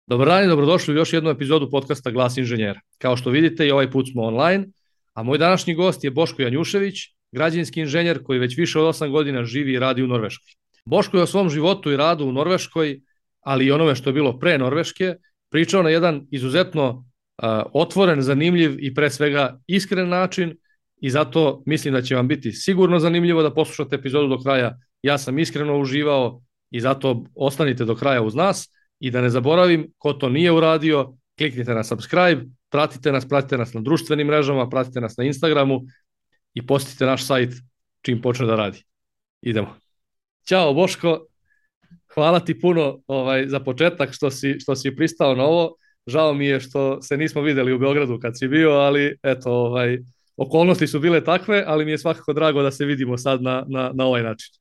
Dobar dan i dobrodošli u još jednu epizodu podcasta Glas inženjera. Kao što vidite i ovaj put smo online, a moj današnji gost je Boško Janjušević, građevinski inženjer koji već više od 8 godina živi i radi u Norveškoj. Boško je o svom životu i radu u Norveškoj, ali i onome što je bilo pre Norveške, pričao na jedan izuzetno otvoren, zanimljiv i pre svega iskren način i zato mislim da će vam biti sigurno zanimljivo da poslušate epizodu do kraja. Ja sam iskreno uživao i zato ostanite do kraja uz nas. I da ne zaboravim, ko to nije uradio, kliknite na subscribe, pratite nas na društvenim mrežama, pratite nas na Instagramu i posjetite naš sajt čim počne da radi. Idemo. Ćao Boško, hvala ti puno za početak što si pristao na ovo. Žao mi je što se nismo videli u Beogradu kad si bio, ali eto, okolnosti su bile takve, ali mi je svakako drago da se vidimo sad na ovaj način.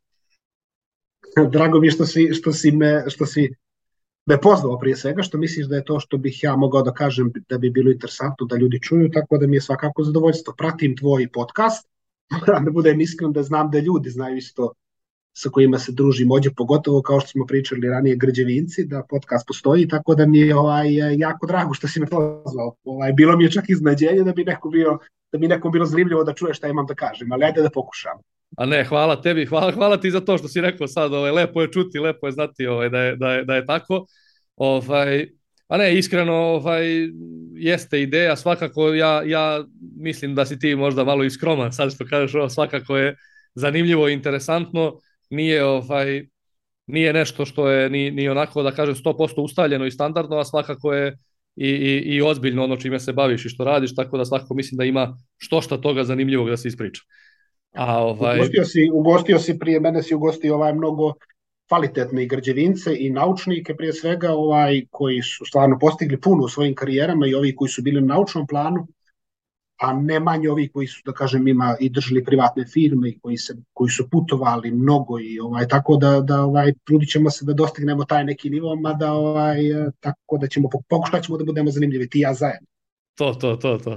Drago mi je što si me pozvao prije svega, što misliš da je to što bih ja mogao da kažem da bi bilo interesantno da ljudi čuju, tako da mi je svakako zadovoljstvo. Pratim tvoj podcast, moram da budem iskren da znam da ljudi znaju isto sa kojima se družim ovdje, pogotovo kao što smo pričali ranije građevinci, da podcast postoji, tako da mi je jako drago što si me pozvao. Bilo mi je čak iznenađenje da bi nekom bilo zanimljivo da čuje šta imam da kažem, ali ajde da pokušam. A ne, hvala tebi, hvala ti za to što si rekao sad, lepo je čuti, lepo je znati da je tako. A ne, iskreno jeste ideja, svakako ja mislim da si ti možda malo i skroman, sad što kažeš ovo, svakako je zanimljivo i interesantno, nije nešto što je ni onako da kažem 100% ustaljeno i standardno, a svakako je i ozbiljno ono čime se baviš i što radiš, tako da svakako mislim da ima što toga zanimljivog da se ispriča. Ugostio si prije mene, si ugostio mnogo kvalitetne građevince i naučnike prije svega koji su stvarno postigli puno u svojim karijerama i ovi koji su bili na naučnom planu, a ne manje ovi koji su, da kažem, i držali privatne firme i koji su putovali mnogo i tako da trudit ćemo se da dostignemo taj neki nivo, mada tako da pokušat ćemo da budemo zanimljivi ti i ja zajedno.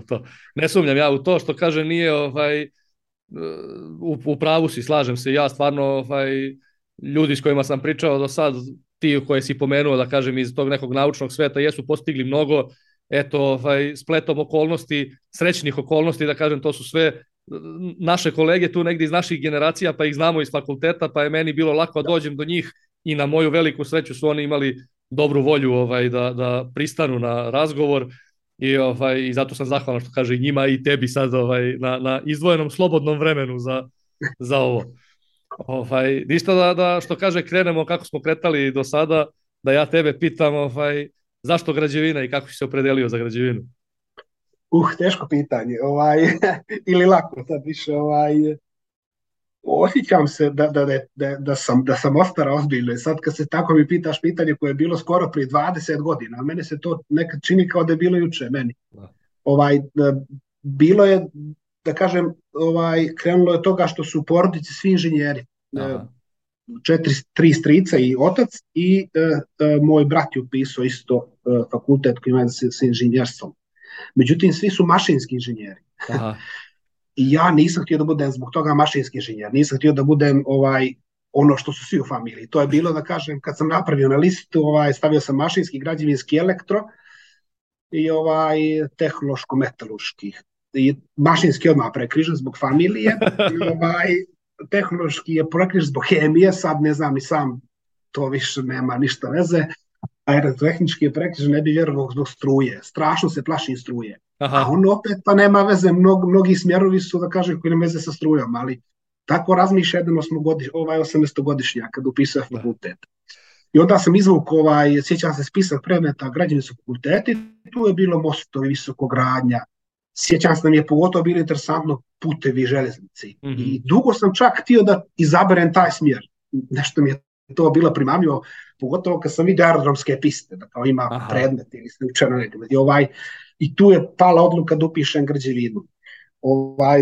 To. Ne sumnjam ja u to što kaže nije u pravu si, slažem se, ja stvarno ljudi s kojima sam pričao do sad, ti koje si pomenuo da kažem iz tog nekog naučnog sveta jesu postigli mnogo, eto spletom okolnosti, srećnih okolnosti da kažem, to su sve naše kolege tu negdje iz naših generacija, pa ih znamo iz fakulteta, pa je meni bilo lako da dođem do njih i na moju veliku sreću su oni imali dobru volju da pristanu na razgovor. I zato sam zahvalan što kaže i njima i tebi sad na izdvojenom slobodnom vremenu za ovo. Ništa da što kaže krenemo kako smo kretali do sada, da ja tebe pitam zašto građevina i kako si se opredelio za građevinu? Teško pitanje. Ili lako sad više. Osjećam se da sam ostara ozbiljno. Sad kad se tako mi pitaš pitanje koje je bilo skoro prije 20 godina, a mene se to nekad čini kao da je bilo juče meni. Bilo je, da kažem, krenulo je toga što su u porodici svi inženjeri. 3 strica i otac i moj brat je upisao isto fakultet koji ima sa inženjerstvom. Međutim, svi su mašinski inženjeri. Aha. I ja nisam htio da budem zbog toga mašinski inženjer, nisam htio da budem ono što su svi u familiji. To je bilo, da kažem, kad sam napravio na listu, stavio sam mašinski, građevinski, elektro i tehnološko-metalurški. I mašinski odmah prekrižen zbog familije, tehnološki je prekrižen zbog hemije, sad ne znam ni sam, to više nema ništa veze. Aerotehnički je prekrižen, ne bi vjerovao zbog struje. Strašno se plašim struje. Aha. A on opet pa nema veze, mnogi smjerovi su, da kažem, koji nema veze sa strujom, ali tako razmišlja jedan 18-godišnjak kad upisuje fakultet. I onda sam izvukao, sjećam se spisak predmeta građevinskog fakulteta, tu je bilo mostovi, visokogradnja. Sjećam se da mi je pogotovo bilo interesantno putevi, željeznici. Mm-hmm. I dugo sam čak htio da izaberem taj smjer. Nešto mi je to bilo primamljivo, pogotovo kad sam vidio aerodromske piste, da kao ima predmet ili se učeno nekada. I tu je pala odluka da upišem građevinu.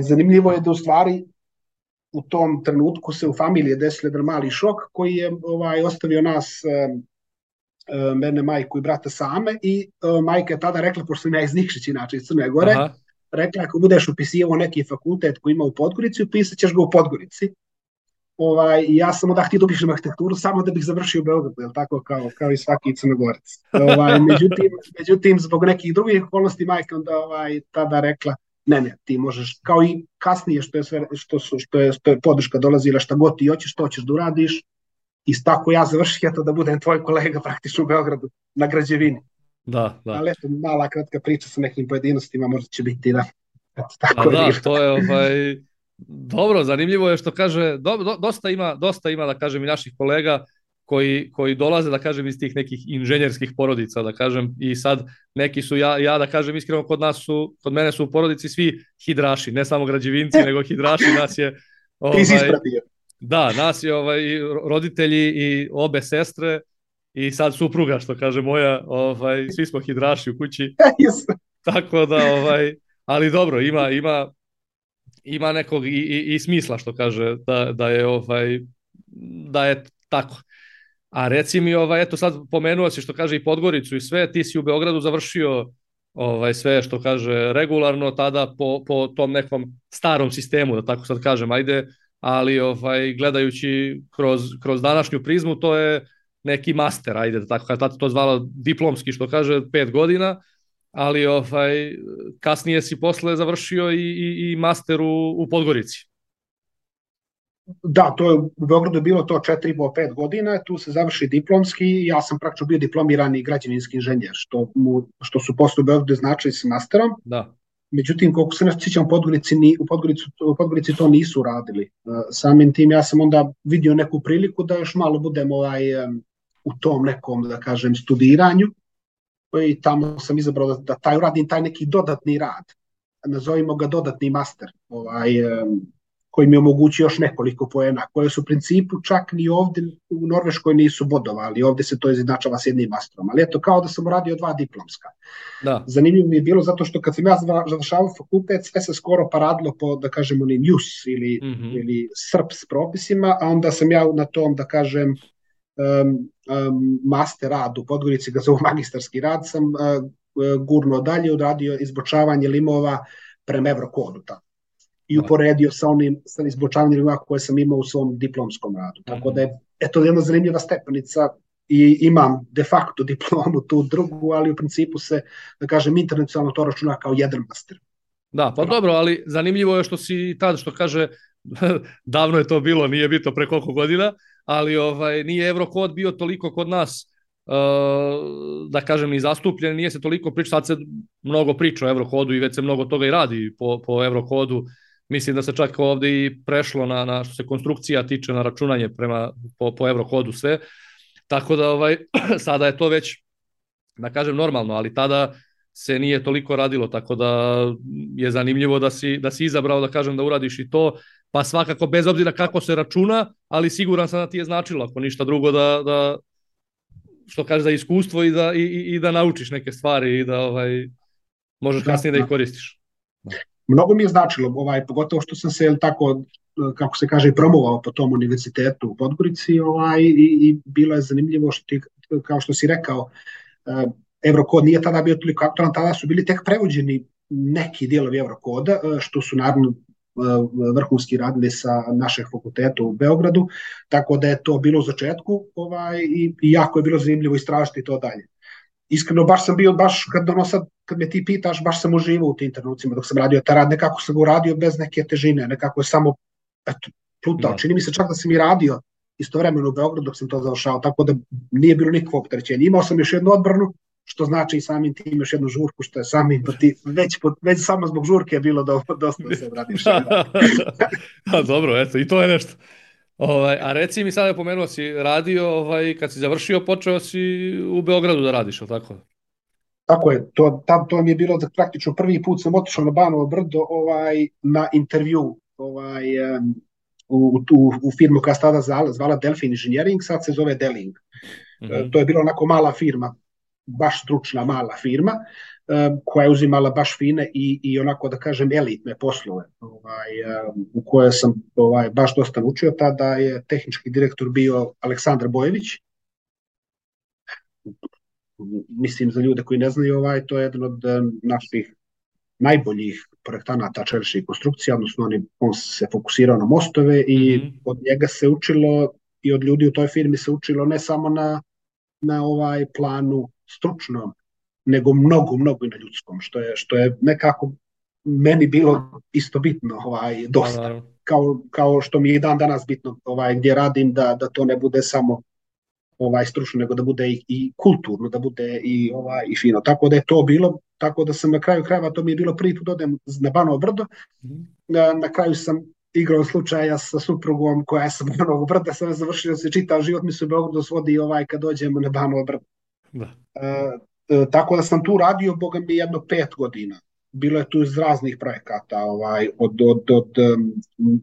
Zanimljivo je da u stvari u tom trenutku se u familiji desio jedan mali šok koji je ostavio nas, mene, majku i brata same i majka je tada rekla, pošto sam ja iz Nikšić, inače iz Crne Gore, rekla ako budeš upisivo neki fakultet koji ima u Podgorici, upisat ćeš ga u Podgorici. ja sam onda htio da upišem arhitekturu samo da bih završio u Beogradu, jel tako, kao i svaki Crnogorac. Međutim, zbog nekih drugih okolnosti majka onda tada rekla, ne, ti možeš, kao i kasnije što je podrška dolazila, šta god ti hoćeš, to ćeš da uradiš, i tako ja završio da budem tvoj kolega praktično u Beogradu na građevini. Da. Ali eto, mala kratka priča sa nekim pojedinostima, možda će biti da. Tako da, to je dobro, zanimljivo je što kaže, dosta ima, da kažem, i naših kolega koji dolaze, da kažem, iz tih nekih inženjerskih porodica, da kažem, i sad neki su, ja da kažem iskreno, kod mene su u porodici svi hidraši, ne samo građevinci, nego hidraši, nas je... Ti si ispratio. Da, nas je roditelji i obe sestre i sad supruga, što kaže moja, svi smo hidraši u kući. Tako da, ali dobro, ima nekog i smisla, što kaže, da je tako. A reci mi, eto sad pomenuo si, što kaže, i Podgoricu i sve, ti si u Beogradu završio sve, što kaže, regularno tada po tom nekom starom sistemu, da tako sad kažem, ajde, ali gledajući kroz današnju prizmu, to je neki master, ajde, da tako kaže, tada to zvalo diplomski, što kaže, 5 godina, ali kasnije si posle završio i master u Podgorici. Da, to je u Beogradu bilo to 4,5-5 godina, tu se završi diplomski i ja sam praktično bio diplomirani građevinski inženjer, što su posle u Beogradu značili s masterom. Da. Međutim, koliko se ne sjećam, u Podgorici to nisu radili. Samim tim ja sam onda vidio neku priliku da još malo budem u tom nekom, da kažem, studiranju, i tamo sam izabrao da uradim taj neki dodatni rad, nazovimo ga dodatni master, koji mi omogući još nekoliko poena, koje su u principu čak ni ovdje u Norveškoj nisu bodovali, ovdje se to izjednačava s jednim masterom, ali eto, kao da sam uradio 2 diplomska. Da. Zanimljivo mi je bilo zato što kad sam ja završavao fakultet, sve se skoro paradilo po, da kažem, onim JUS ili SRPS propisima, a onda sam ja na tom, da kažem, master rad u Podgorici, ga zovu magistarski rad, sam gurno dalje, odradio izbočavanje limova prema Evrokodu. I uporedio sa izbočavanjem limova koje sam imao u svom diplomskom radu. Tako da je to jedna zanimljiva stepenica i imam de facto diplomu tu drugu, ali u principu se, da kažem, internacionalno to računa kao jedan master. Da, pa dobro, ali zanimljivo je što si tad, što kaže, davno je to bilo, nije bitno pre koliko godina, ali nije Evrokod bio toliko kod nas, da kažem, i zastupljen, nije se toliko priča, sad se mnogo priča o Evrokodu i već se mnogo toga i radi po Evrokodu. Mislim da se čak ovde i prešlo na što se konstrukcija tiče, na računanje po Evrokodu sve. Tako da sada je to već, da kažem, normalno, ali tada se nije toliko radilo, tako da je zanimljivo da si izabrao, da kažem, da uradiš i to, pa svakako bez obzira kako se računa, ali siguran sam da ti je značilo, ako ništa drugo, da što kaže, da iskustvo i da naučiš neke stvari i da možeš kasnije da ih koristiš. Mnogo mi je značilo, pogotovo što sam se tako, kako se kaže, promovao po tom univerzitetu u Podgorici, i bilo je zanimljivo što ti, kao što si rekao, Evrokod nije tada bio toliko aktualan, tada su bili tek prevođeni neki dijelovi Evrokoda, što su naravno vrhunski radili sa našeg fakulteta u Beogradu, tako da je to bilo u začetku i jako je bilo zanimljivo istražiti to dalje. Iskreno, baš kad me ti pitaš, baš sam uživao u tim trenucima dok sam radio taj rad, nekako sam ga uradio bez neke težine, nekako je samo plutao. Čini mi se čak da sam i radio istovremeno u Beogradu dok sam to završao, tako da nije bilo nikakvog opterećenja. Imao sam još jednu odbranu, što znači i samim tim još jednu žurku, što je samim već samo zbog žurke je bilo dosta da se odradiš. Dobro, eto, i to je nešto. A reci mi, sada pomenuo si radio, kad si završio, počeo si u Beogradu da radiš, ili tako? Tako je, to mi je bilo da praktično prvi put sam otišao na Banovo brdo na intervju u firmu koja se tada zvala Delfin Engineering, sad se zove Deling. To je bila onako mala firma, baš stručna mala firma, koja je uzimala baš fine i onako, da kažem, elitne poslove, u koje sam baš dosta naučio. Tada je tehnički direktor bio Aleksandar Bojević. Mislim, za ljude koji ne znaju, to je jedan od naših najboljih projektanata čeličnih konstrukcija, odnosno on se fokusirao na mostove i od njega se učilo i od ljudi u toj firmi se učilo ne samo na ovaj planu stručnom, nego mnogo i na ljudskom, što je nekako meni bilo isto bitno, dosta. Kao što mi je dan danas bitno gdje radim, da to ne bude samo stručno, nego da bude i kulturno, da bude i fino. Tako da je to bilo, tako da sam na kraju krajeva, to mi je bilo prvi put odem na Banovo Brdo. Na kraju sam igrao slučaja sa suprugom koja je sa Banovog Brda, sam završio se čitav život, mi se u Beogradu svodi kad dođemo na Banovo Brdo. Tako da sam tu radio, boga mi, jedno 5 godina. Bilo je tu iz raznih projekata, od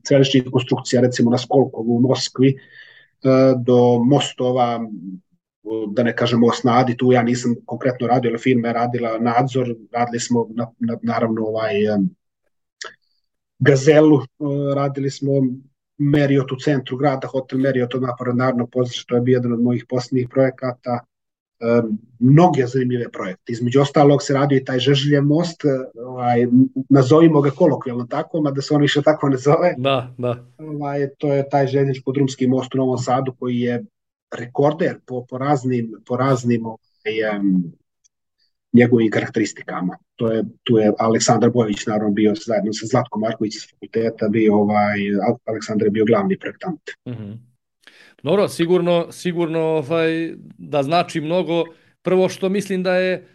čeličnih konstrukcija, recimo na Skolkovu u Moskvi, do mostova, da ne kažem most na Adi, tu ja nisam konkretno radio, ali firma je radila nadzor, radili smo naravno Gazelu, radili smo Marriott u centru grada, hotel Marriott od napored Narodnog pozorišta, to je bio jedan od mojih posljednjih projekata. Mnoge zanimljive projekte. Između ostalog se radio i taj Žeželjev most, nazovimo ga kolokvijalno tako, mada se on više tako ne zove. Da. To je taj željezničko-drumski most u Novom Sadu koji je rekorder po raznim njegovim karakteristikama. Tu je Aleksandar Bojović naravno bio zajedno sa Zlatkom Marković iz fakulteta, Aleksandar je bio glavni projektant. Dobro, sigurno da znači mnogo. Prvo što mislim da je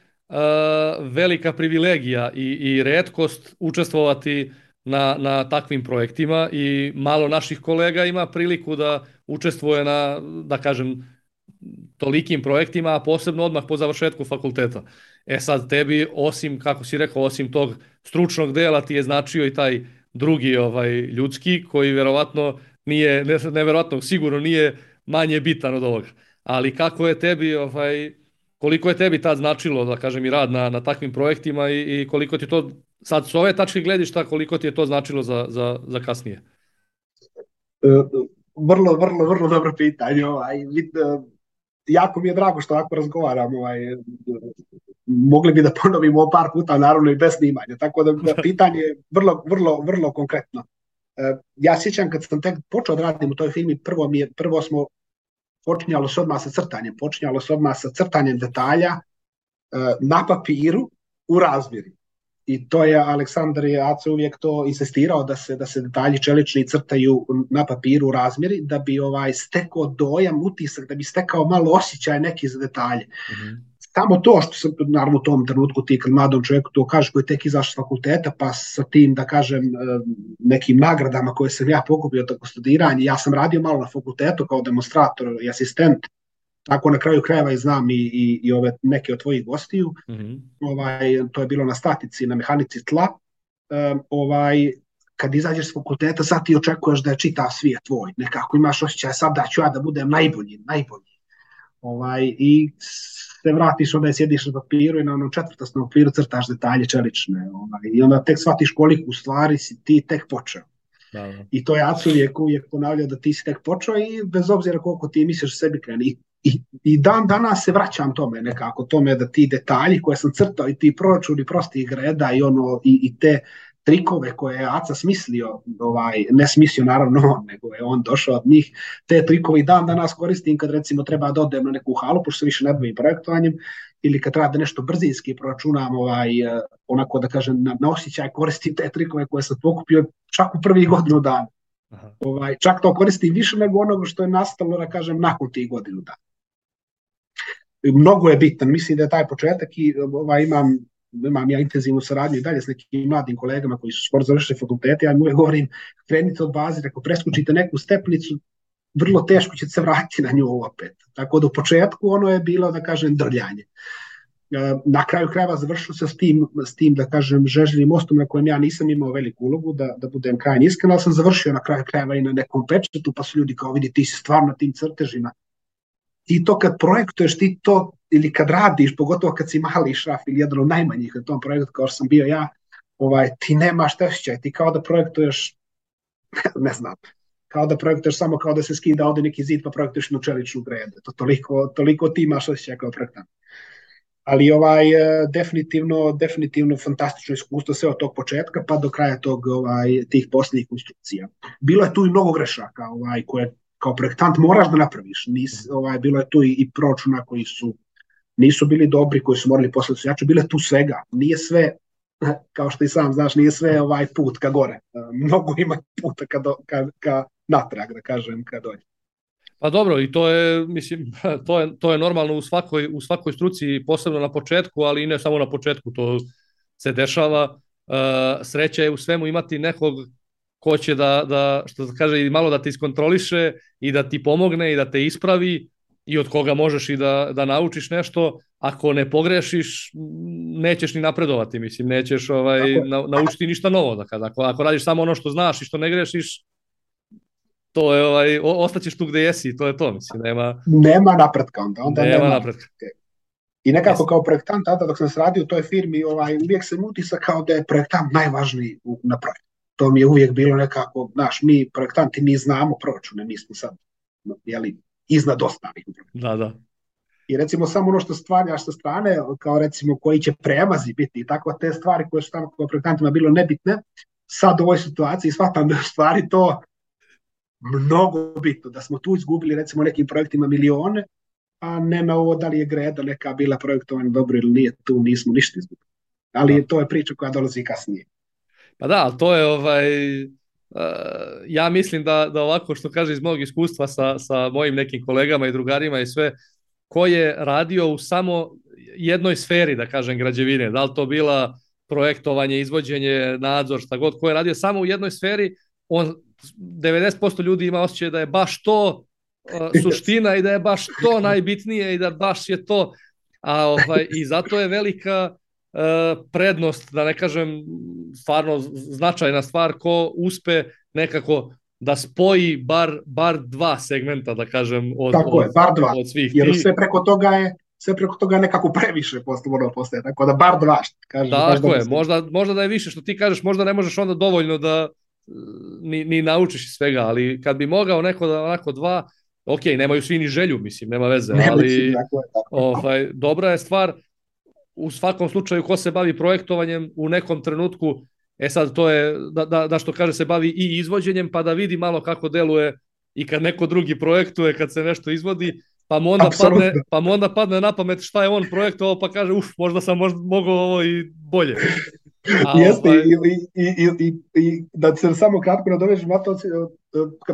velika privilegija i retkost učestvovati na takvim projektima i malo naših kolega ima priliku da učestvuje na, da kažem, tolikim projektima, a posebno odmah po završetku fakulteta. Sad tebi, osim, kako si rekao, osim tog stručnog dela ti je značio i taj drugi ljudski, koji verovatno nije, neverovatno, sigurno nije manje bitan od ovoga. Ali kako je tebi, koliko je tebi tad značilo, da kažem, i rad na takvim projektima i koliko ti to, sad s ove tačke gledišta, koliko ti je to značilo za kasnije? Vrlo dobro pitanje. Jako mi je drago što ovako razgovaram. Mogli bi da ponovimo par puta, naravno i bez snimanja. Tako da pitanje je vrlo konkretno. Ja sjećam kad sam tek počeo da radim u toj filmi, prvo smo počinjalo se odmah sa crtanjem detalja na papiru u razmjeri. I to je Aleksandar Aca uvijek to insistirao da se detalji čelični crtaju na papiru u razmjeri, da bi stekao dojam, utisak, da bi stekao malo osjećaj neki za detalje. Samo to što sam, naravno u tom trenutku ti kad mladom čovjeku to kažeš koji je tek izašao s fakulteta, pa sa tim, da kažem, nekim nagradama koje sam ja pokupio tako studiranje, ja sam radio malo na fakultetu kao demonstrator i asistent, tako na kraju krajeva i znam i ove neke od tvojih gostiju. To je bilo na statici, na mehanici tla. Kad izađeš s fakulteta, sad ti očekuješ da je čitav svijet tvoj, nekako imaš osjećaj sad da ću ja da budem najbolji. I se vratiš, onda sjediš na papiru i na onom četvrtasnom papiru crtaš detalje čelične. I onda tek shvatiš koliko u stvari si ti tek počeo. I to je Aca uvijek ponavljao da ti si tek počeo i bez obzira koliko ti misliš sebi kreni. I dan danas se vraćam tome da ti detalji koje sam crtao i ti proračuni prostih greda i te trikove koje je Aca smislio, ne smislio naravno on, nego je on došao od njih, te trikove i dan danas koristim kad recimo treba da odem na neku halu, pošto se više ne bavim projektovanjem, ili kad treba da nešto brzinski proračunam, onako da kažem na osjećaj koristim te trikove koje sam pokupio čak u prvih godinu dana. Čak to koristim više nego onoga što je nastalo, da kažem, nakon tih godinu dana. Mnogo je bitan, mislim da je taj početak i imam ja intenzivnu saradnju i dalje s nekim mladim kolegama koji su skoro završili fakultete, ja im uvijek govorim, krenite od baze, ako preskočite neku stepnicu, vrlo teško ćete se vratiti na nju opet. Tako da u početku ono je bilo, da kažem, drljanje. Na kraju krajeva završilo se s tim, da kažem, Žeželjevim mostom na kojem ja nisam imao veliku ulogu, da budem krajnje iskren, ali sam završio na kraju krajeva i na nekom pečetu, pa su ljudi kao vidi ti si stvarno na tim crtežima. Ti to kad projektuješ, ti to, ili kad radiš, pogotovo kad si mali šraf ili jedan od najmanjih na tom projektu kao što sam bio ja, ti nemaš osjećaj, ti kao da projektuješ, ne znam, kao da projektuješ samo kao da se skida ovdje neki zid pa projektuješ na čeličnu gredu. Toliko ti imaš osjećaj kao projektant. Ali definitivno fantastično iskustvo sve od tog početka pa do kraja tih posljednjih konstrukcija. Bilo je tu i mnogo grešaka koje kao projektant moraš da napraviš. Bilo je tu i proračuna koji nisu bili dobri, koji su morali poslati jače. Bilo je tu svega. Nije sve, kao što i sam znaš, nije sve put ka gore. Mnogo ima puta ka natrag, da kažem, ka dolje. Pa dobro, i to je, mislim, to je normalno u svakoj struci, posebno na početku, ali i ne samo na početku, to se dešava. Sreća je u svemu imati nekog ko će da što se kaže, malo da te iskontroliše i da ti pomogne i da te ispravi i od koga možeš i da naučiš nešto. Ako ne pogrešiš, nećeš ni napredovati, mislim, nećeš naučiti ništa novo. Ako radiš samo ono što znaš i što ne grešiš, to je, ostaćeš tu gde jesi, to je to, mislim, nema napretka onda nema napretka. I nekako kao projektant, tada dok sam se radio u toj firmi, uvijek sam utisak kao da je projektant najvažniji na projektu. To mi je uvijek bilo nekako, znaš, mi projektanti, mi znamo proračune, mi smo sad, iznad ostalih. Da. I recimo samo ono što stvarjaš sa strane, kao recimo koji će premazi biti i tako te stvari koje su tamo kao projektantima bilo nebitne, sad u ovoj situaciji shvatam da stvari to mnogo bitno, da smo tu izgubili recimo nekim projektima milione, a ne na ovo da li je greda neka bila projektovana dobro ili nije, tu nismo ništa izgubili. Ali to je priča koja dolazi kasnije. Pa da, ali to je ja mislim da ovako što kaže iz mog iskustva sa mojim nekim kolegama i drugarima i sve, ko je radio u samo jednoj sferi, da kažem, građevine, da li to bila projektovanje, izvođenje, nadzor, šta god, ko je radio samo u jednoj sferi, 90% ljudi ima osjećaj da je baš to suština i da je baš to najbitnije i da baš je to, i zato je velika prednost, da ne kažem stvarno značajna stvar, ko uspe nekako da spoji bar dva segmenta, da kažem, od svih. Jer sve preko toga je nekako previše postaje, tako da bar dva. Tako je, možda da je više, što ti kažeš, možda ne možeš onda dovoljno da ni naučiš svega, ali kad bi mogao neko da onako dva, ok, nemaju svi ni želju, mislim, nema veze, ali dobra je stvar. U svakom slučaju, ko se bavi projektovanjem u nekom trenutku, sad to je, da što kaže, se bavi i izvođenjem, pa da vidi malo kako deluje i kad neko drugi projektuje, kad se nešto izvodi, pa mu onda padne na pamet šta je on projektovao, pa kaže, možda sam mogao ovo i bolje. Jeste, i da se samo kratko nadovežem,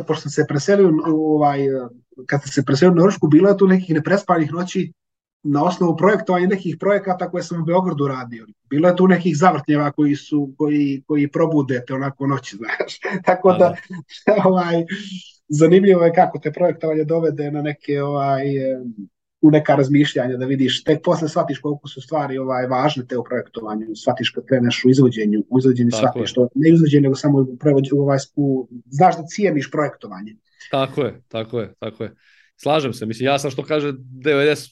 pošto sam se preselio kad se preselio na Norvešku, bilo je tu nekih neprespanih noći na osnovu projektovanja nekih projekata koje sam u Beogradu radio. Bilo je tu nekih zavrtnjeva koji probudete onako noći, znaš. Tako da zanimljivo je kako te projektovanje dovede na neke u neka razmišljanja, da vidiš, tek posle shvatiš koliko su stvari važne te u projektovanju, shvatiš kad kreneš u izvođenju shvatiš to, ne izvođenje, nego samo znaš da cijeniš projektovanje. Tako je. Slažem se, mislim, ja sam što kaže 90%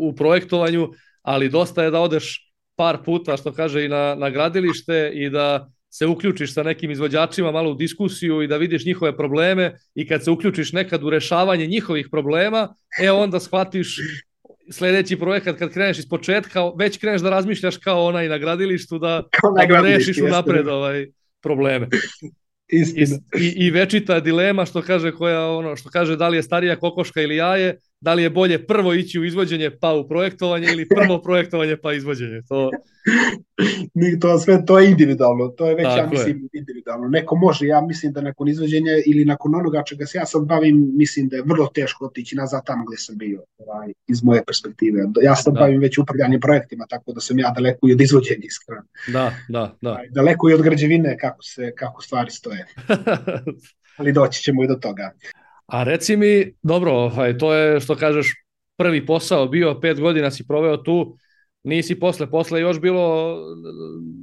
u projektovanju, ali dosta je da odeš par puta, što kaže, i na gradilište i da se uključiš sa nekim izvođačima malo u diskusiju i da vidiš njihove probleme i kad se uključiš nekad u rešavanje njihovih problema, onda shvatiš sljedeći projekat kad kreneš iz početka, već kreneš da razmišljaš kao onaj na gradilištu da rešiš unapred probleme. I večita dilema što kaže da li je starija kokoška ili jaje, da li je bolje prvo ići u izvođenje pa u projektovanje ili prvo projektovanje pa izvođenje. To je individualno, to je već mislim individualno. Neko može, ja mislim da nakon izvođenja ili nakon onoga čega se ja sad bavim, mislim da je vrlo teško otići nazad tamo gdje sam bio, iz moje perspektive. Ja sad bavim već upravljanjem projektima, tako da sam ja daleko i od izvođenja, iskreno. Da. Daleko i od građevine kako stvari stoje. Ali doći ćemo i do toga. A reci mi, dobro, to je što kažeš prvi posao bio, 5 godina si proveo tu, nisi posle još bilo,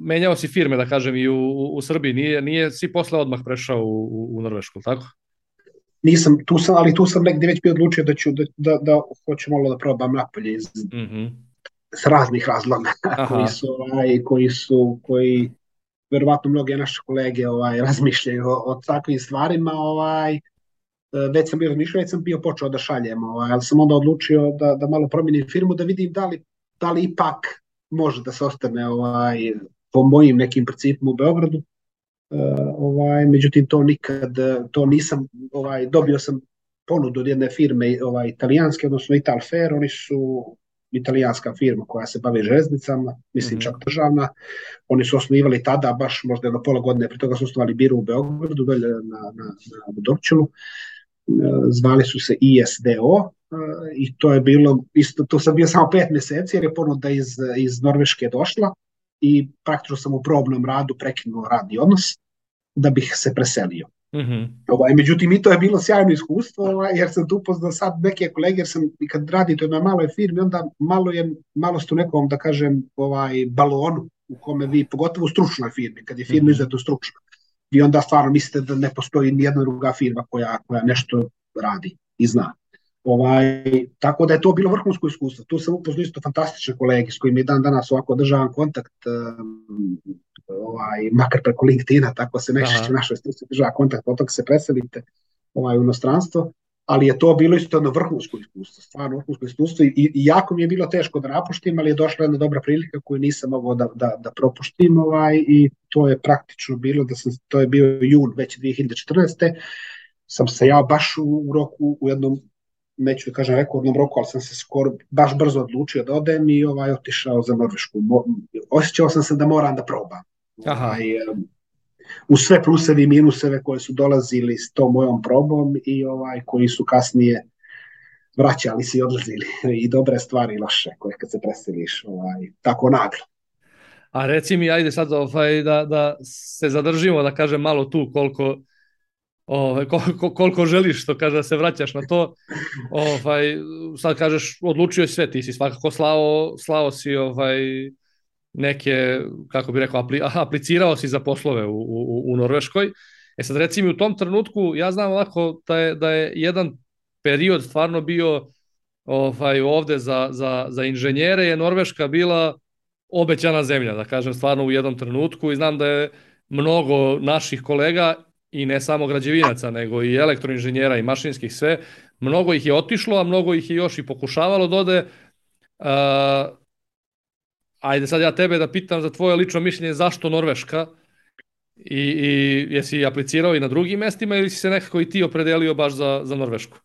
menjao si firme, da kažem, i u Srbiji, nije si posle odmah prešao u Norvešku, tako? Nisam, tu sam negdje već bio odlučio da hoću malo da probam napolje s raznih razloga koji verovatno mnoge naše kolege razmišljaju o takvim stvarima, već sam bio razmišljao, već sam bio počeo da šaljem, ali sam onda odlučio da malo promijenim firmu, da vidim da li da li ipak može da se ostane po mojim nekim principima u Beogradu. Međutim, to nisam, dobio sam ponudu od jedne firme italijanske, odnosno Italfer, oni su italijanska firma koja se bavi železnicama, mislim čak državna. Oni su osnivali tada, baš možda jedno pola godine, prije toga su osnovali biro u Beogradu, dolje na Dorčulu. Zvali su se ISDO i to je bilo, isto, to sam bio samo 5 mjeseci jer je ponuda iz Norveške došla i praktično sam u probnom radu prekinuo radni odnos da bih se preselio. Međutim, i to je bilo sjajno iskustvo, jer sam tu upoznao sad neke kolege, jer sam i kad radite na maloj firmi, onda malo ste u nekom, da kažem, balonu u kome vi, pogotovo u stručnoj firmi, kad je firma izuzetno stručna, vi onda stvarno mislite da ne postoji nijedna druga firma koja nešto radi i zna. Tako da je to bilo vrhunsko iskustvo. Tu sam upoznao isto fantastične kolege s kojima je dan danas ovako održavam kontakt, makar preko LinkedIna, tako se najčešće u našoj struci država kontakt, potom se preselite u inostranstvo, ali je to bilo isto jedno vrhunsko iskustvo, stvarno vrhunsko iskustvo i jako mi je bilo teško da napuštim, ali je došla jedna dobra prilika koju nisam mogao da propuštim i to je praktično bilo, to je bio jun već 2014. Sam se ja baš u roku, u jednom, neću da kažem rekordnom roku, ali sam se skoro baš brzo odlučio da odem i otišao za Norvešku. Osjećao sam se da moram da probam. U sve pluseve i minuseve koje su dolazili s tom mojom probom i koji su kasnije vraćali se i odlazili i dobre stvari i loše koje kad se preseliš tako naglo. A reci mi, ajde sad da se zadržimo, da kažem malo tu koliko želiš, što kaže da se vraćaš na to. Sad kažeš, odlučio si sve, ti si svakako slao si neke, kako bih rekao, aplicirao si za poslove u Norveškoj. Sad reci mi, u tom trenutku, ja znam ovako da je jedan period stvarno bio ovde za inženjere, je Norveška bila obećana zemlja, da kažem, stvarno u jednom trenutku, i znam da je mnogo naših kolega, i ne samo građevinaca, nego i elektroinženjera i mašinskih sve, mnogo ih je otišlo, a mnogo ih je još i pokušavalo da ode. Ajde sad ja tebe da pitam za tvoje lično mišljenje, zašto Norveška, i jesi aplicirao i na drugim mestima ili si se nekako i ti opredelio baš za Norvešku?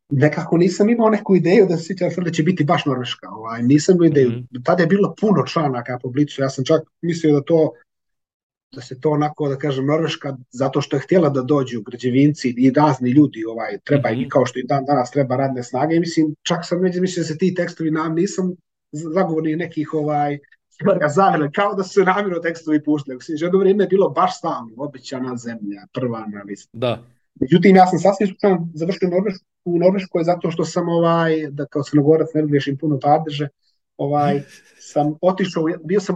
Nekako nisam imao neku ideju da se da će biti baš Norveška. Nisam imao ideju. Tada je bilo puno članaka po Blicu. Ja sam čak mislio da se to onako, da kažem, Norveška, zato što je htjela da dođu građevinci i razni ljudi, treba i kao što i danas treba radne snage. I mislim, čak sam mislio da se ti tekstovi nisam zagovornik nekih zavele, kao da su se namjerno tekstovi puštali. Jedno vrijeme je bilo baš stalno, obećana zemlja, prva na listi. Da. Međutim, ja sam sasvim slučajno završio u Norveškoj zato što sam, da kao Crnogorac ne griješim puno padeže, sam otišao, bio sam,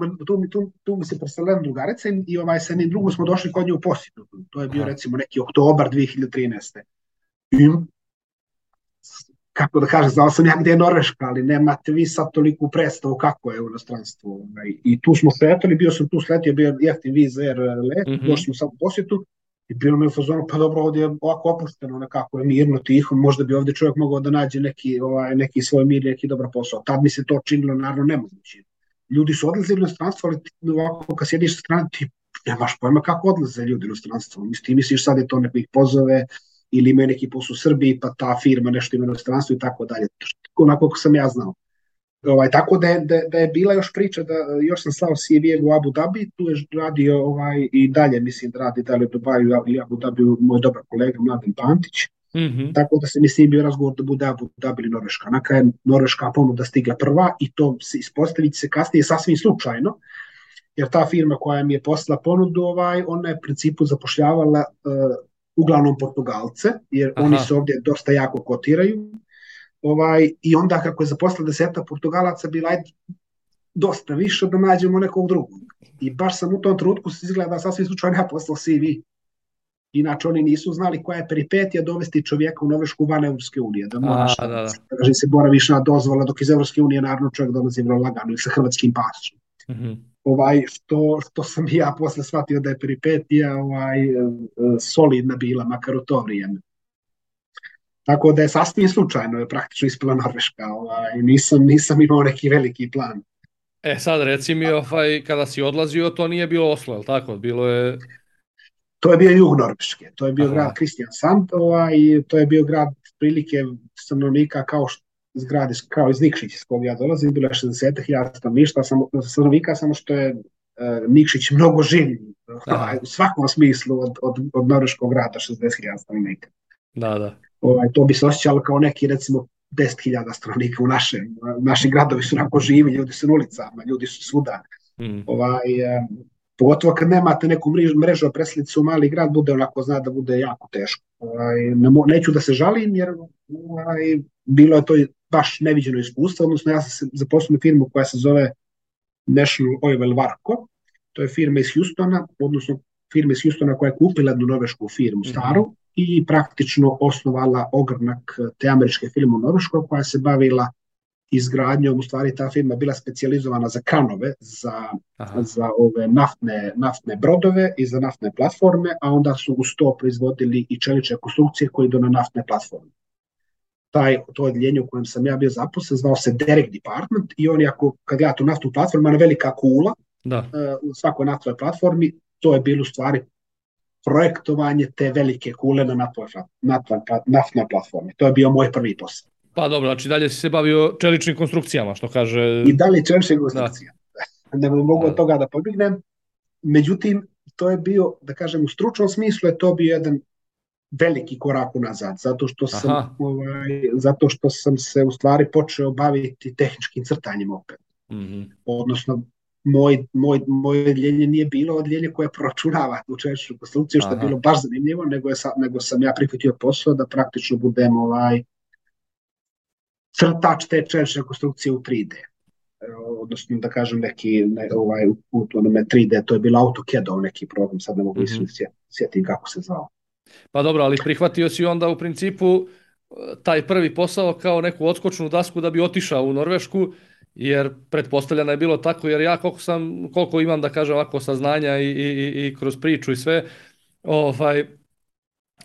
tu mi se preselila drugarica i sa jednim drugom smo došli kod nje u posjetu. To je bio recimo neki oktobar 2013. I, kako da kažem, znao sam ja gdje je Norveška, ali nemate vi sad toliku predstavu kako je u inostranstvu. I tu smo sletali, bio sam tu sletio, bio jeftin Wizz Air let, došli smo sad u posjetu i bilo mi u fazonu, pa dobro, ovdje je ovako opušteno, nekako je mirno, tiho, možda bi ovdje čovjek mogao da nađe neki svoj mir, neki dobar posao. Tad mi se to činilo naravno nemoguće. Ljudi su odlazili u inostranstvo, ali ovako kad sjediš sa strane, ti nemaš pojma kako odlaze ljudi u inostranstvo. Ti misliš sad je to neko ih pozove ili imaju neki posao u Srbiji, pa ta firma nešto ima u inostranstvu i tako dalje. Onako kako sam ja znao. Tako da je bila još priča da još sam slao CV u Abu Dhabi, tu je radio i dalje, mislim da radi dalje u Dubaju ili Abu Dhabi moj dobar kolega Mladen Pantić. Tako da se mislim bio razgovor da bude Abu Dhabi ili Norveška. Na kraju Norveška ponuda stigla prva i to se ispostaviti se kasnije sasvim slučajno, jer ta firma koja mi je poslala ponudu, ona je u principu zapošljavala uglavnom Portugalce, jer oni se ovdje dosta jako kotiraju. I onda kako je zaposlila 10 Portugalaca, bila je dosta više da nađemo nekog drugog. I baš sam u tom trenutku izgleda sasvim slučajno ja poslao CV. Inače oni nisu znali koja je peripetija dovesti čovjeka u Norvešku van Evropske unije. Da moraš da se boraviš na dozvola, dok iz Evropske unije naravno čovjek dolazi vrlo lagano i sa hrvatskim pasom. Što sam ja posle shvatio da je peripetija solidna bila, makar u to vrijeme. Tako da je sasvim slučajno je praktično ispila Norveška. Nisam imao neki veliki plan. Sad reci mi, kada si odlazio, to nije bilo Oslo, je li tako? Bilo je... To je bio jug Norveške, to je bio Aha. grad Kristiansand, i to je bio grad prilike stanovnika kao iz Nikšića iz kog ja dolazim, bilo je 60.000 stanovnika, samo što je Nikšić mnogo življi u svakom smislu od norveškog grada 60.000 stanovnika. Da. To bi se osjećalo kao neki, recimo, 10.000 stanovnika u naši gradovi su onako živi, ljudi su na ulicama, ljudi su svuda. Pogotovo kad nemate neku mrežu preslicu u mali grad, zna da bude jako teško. Neću da se žalim, jer bilo je to baš neviđeno iskustvo, odnosno ja sam se zaposlio u firmu koja se zove National Oilwell Varco, to je firma iz Houstona, odnosno firma iz Houstona koja je kupila jednu norvešku firmu staru i praktično osnovala ogranak te američke firme u Norveškoj koja se bavila izgradnjom, u stvari ta firma bila specijalizovana za kranove, za ove naftne brodove i za naftne platforme, a onda su uz to proizvodili i čelične konstrukcije koje idu na naftne platforme. To odjeljenje u kojem sam ja bio zaposlen zvao se Derek Department i on, kad gledate tu naftnu platformu, ima velika kula u svakoj naftnoj platformi, to je bilo u stvari projektovanje te velike kule na naftnoj platformi. To je bio moj prvi posao. Pa dobro, znači dalje si se bavio čeličnim konstrukcijama, što kaže... I dalje čeličnim konstrukcijama. Ne mogu od toga da pobjegnem. Međutim, to je bio, da kažem, u stručnom smislu je to bio jedan veliki korak unazad, zato što sam se u stvari počeo baviti tehničkim crtanjem opet. Odnosno, moje odjeljenje nije bilo odjeljenje koje proračunava tu čeličnu konstrukciju, što je bilo baš zanimljivo, nego sam ja prihvatio posao da praktično budem crtač te čelične konstrukcije u 3D. Odnosno, da kažem, u 3D, to je bilo AutoCAD-ov neki program, sad ne mogu sjetiti kako se zvao. Pa dobro, ali prihvatio si onda u principu taj prvi posao kao neku odskočnu dasku da bi otišao u Norvešku, jer pretpostavljeno je bilo tako, jer ja koliko imam, da kažem, ovako saznanja i kroz priču i sve,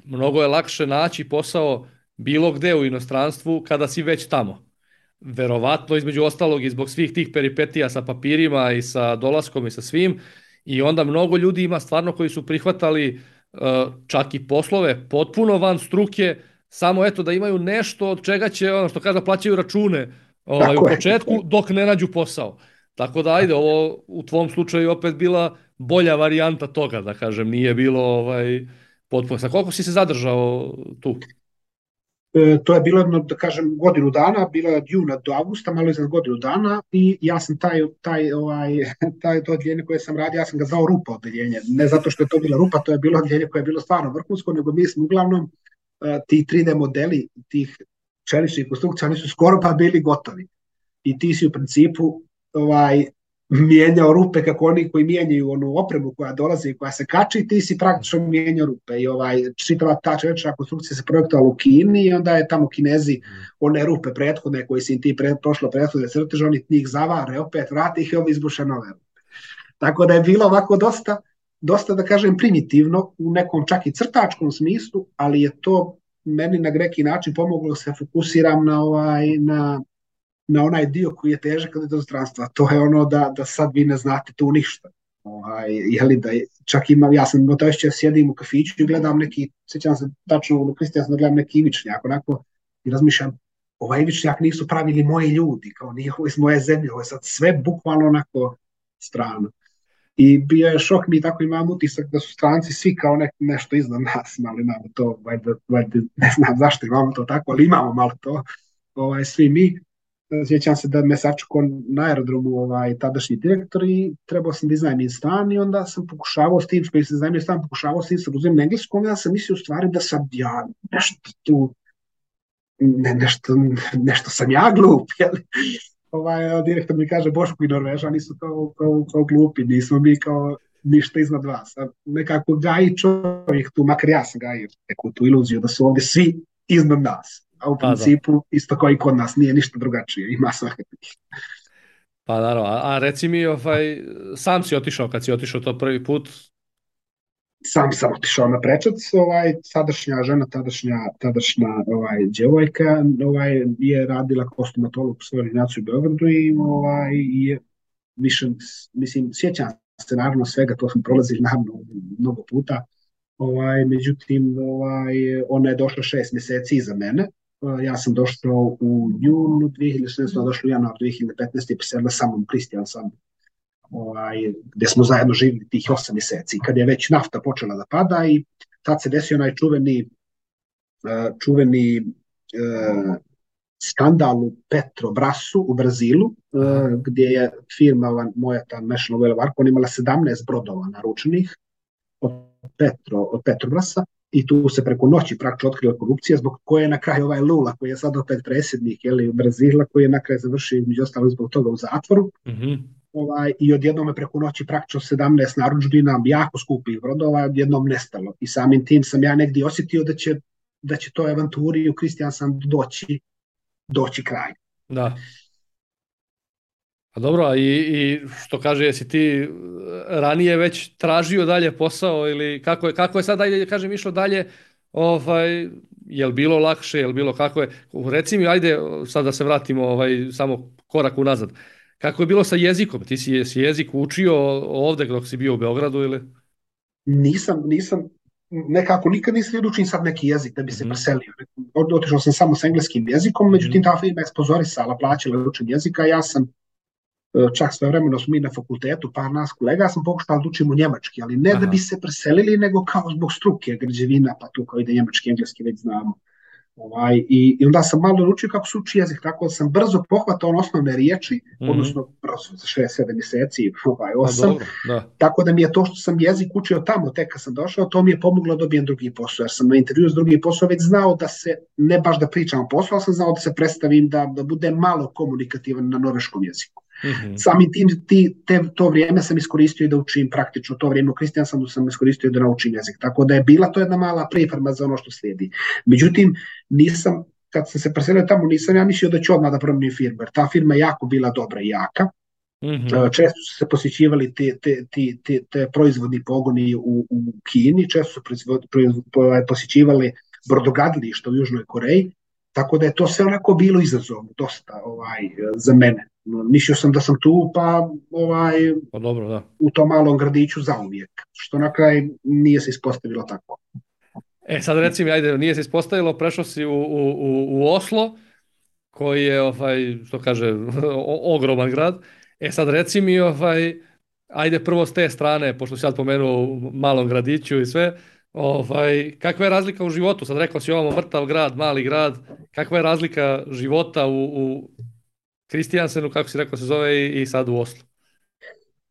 mnogo je lakše naći posao bilo gde u inostranstvu kada si već tamo. Verovatno, između ostalog, i zbog svih tih peripetija sa papirima i sa dolaskom i sa svim, i onda mnogo ljudi ima stvarno koji su prihvatali čak i poslove potpuno van struke, samo eto da imaju nešto od čega će, ono što kaže, plaćaju račune u početku dok ne nađu posao. Tako da, ajde, ovo u tvom slučaju opet bila bolja varijanta toga, da kažem, nije bilo potpuno. Sa koliko si se zadržao tu? To je bilo jedno, da kažem, godinu dana, bilo je od juna do avgusta, malo iznad godinu dana, i ja sam to odjeljenje koje sam radio, ja sam ga zvao rupa odjeljenje. Ne zato što je to bila rupa, to je bilo odjeljenje koje je bilo stvarno vrhunsko, nego mi smo uglavnom ti 3D modeli tih čeličnih konstrukcija, oni su skoro pa bili gotovi. I ti si u principu mijenjao rupe kako oni koji mijenjaju onu opremu koja dolazi i koja se kači, ti si praktično mijenjao rupe. I čitava ta čelična konstrukcija se projektovala u Kini i onda je tamo Kinezi one rupe prethodne koje si ti prošlo prethodne crteže, oni njih zavare, opet vrati ih i ovi izbuše nove rupe. Tako da je bilo ovako dosta, da kažem, primitivno u nekom čak i crtačkom smislu, ali je to meni na neki način pomoglo da se fokusiram na onaj dio koji je težak od inostranstva. To je ono da sad vi ne znate tu ništa. Čak imam, ja sam gotovišće, sjedim u kafiću i gledam neki, sjećam se tačno u Kristijansu da gledam neki ivičnjak, onako, i razmišljam, ovaj ivičnjak nisu pravili moji ljudi, kao nije ovo iz moje zemlje, ovo je sad sve bukvalno onako strano. I bio je šok, mi tako imam utisak da su stranci svi kao nešto iznad nas, ali imamo to, ne znam zašto imamo to tako, ali imamo malo to, svi mi. Sjećam se da me sačekao na aerodromu tadašnji direktor i trebao sam da iznajmim stan i onda sam pokušavao s tim, koji se iznajmio stan, pokušavao s tim sa uzem na engleskom, ja sam mislio u stvari da sam ja nešto tu, nešto sam ja glup, direktor mi kaže, Boško i Norvežani su kao glupi, nismo mi kao ništa iznad vas. Nekako gaji čovjek tu, makar ja sam gajio neku tu iluziju da su ovdje svi iznad nas. A u principu isto kao i kod nas, nije ništa drugačije, ima svakakvih. Pa naravno, a reci mi, sam si otišao, kad si otišao to prvi put, sam otišao na prečac, sadašnja žena, tadašnja djevojka, je radila kao stomatolog u svojoj ordinaciji u Beogradu i je više, mislim, sjećam se naravno svega, to smo prolazili naravno mnogo puta, međutim, ona je došla 6 mjeseci iza mene. Ja sam došao u junu 2016, došao u januar 2015 i preselila sa mnom Kristijan sam, gdje smo zajedno živjeli tih 8 mjeseci. Kad je već nafta počela da pada i tad se desio onaj čuveni skandal u Petrobrasu u Brazilu, gdje je firma moja, ta National Oil Varco, imala 17 brodova naručenih od Petrobrasa i tu se preko noći praktično otkriva korupcija, zbog koje je na kraju ovaj Lula, koji je sad opet predsjednik u Brazila, koji je na kraju završio među ostalog zbog toga u zatvoru. I odjednom je preko noći praktično 17 narudžbina jako skupih brodova odjednom nestalo. I samim tim sam ja negdje osjetio da će to avanturi u Kristijan sam doći kraj. Da. A dobro, i što kaže, jesi ti ranije već tražio dalje posao ili kako je sad dalje, kažem, išlo dalje, je li bilo lakše, je li bilo kako je? Reci mi, ajde sad da se vratimo samo korak unazad. Kako je bilo sa jezikom? Ti si jezik učio ovdje dok si bio u Beogradu ili? Nisam, nekako nikad nisam da učim sad neki jezik da bi se preselio. Otišao sam samo s engleskim jezikom, međutim ta firma je sponzorisala, plaćala učenje jezika. Ja sam čak svojevremeno smo mi na fakultetu, par nas kolega, sam pokušao da učimo njemački, ali ne da bi se preselili, nego kao zbog struke, građevina, pa tu kao ide njemački, engleski već znamo. I onda sam malo naučio kako se uči jezik, tako da sam brzo pohvatao osnovne riječi, odnosno brzo za 6-7 mjeseci, 8, tako da mi je to što sam jezik učio tamo, tek kad sam došao, to mi je pomoglo da dobijem drugi posao, jer sam na intervju s drugi posao već znao da se, ne baš da pričam o poslu, ali sam znao da se predstavim, da budem malo komunikativan na norveškom jeziku. Samim tim to vrijeme sam iskoristio da učim praktično, to vrijeme u Kristijansanu sam iskoristio da naučim jezik, tako da je bila to jedna mala priprema za ono što slijedi. Međutim, kad sam se preselio tamo, nisam ja mislio da ću odmah da promijenim firmu, jer ta firma je jako bila dobra i jaka. Često su se posjećivali te proizvodni pogoni u Kini, često su posjećivali brodogradilišta u Južnoj Koreji, tako da je to sve onako bilo izazovno, dosta za mene. Mislio sam da sam tu, pa dobro, da. U tom malom gradiću zauvijek, što na kraj nije se ispostavilo tako. Sad recimo, ajde, nije se ispostavilo, prešao si u Oslo, koji je, što kaže, ogroman grad. Sad reci mi, ajde prvo s te strane, pošto si sad pomenuo u malom gradiću i sve, kakva je razlika u životu? Sad rekao si ovamo mrtav grad, mali grad, kakva je razlika života u Kristijansenu, kako si rekao se zove, i sad u Oslu?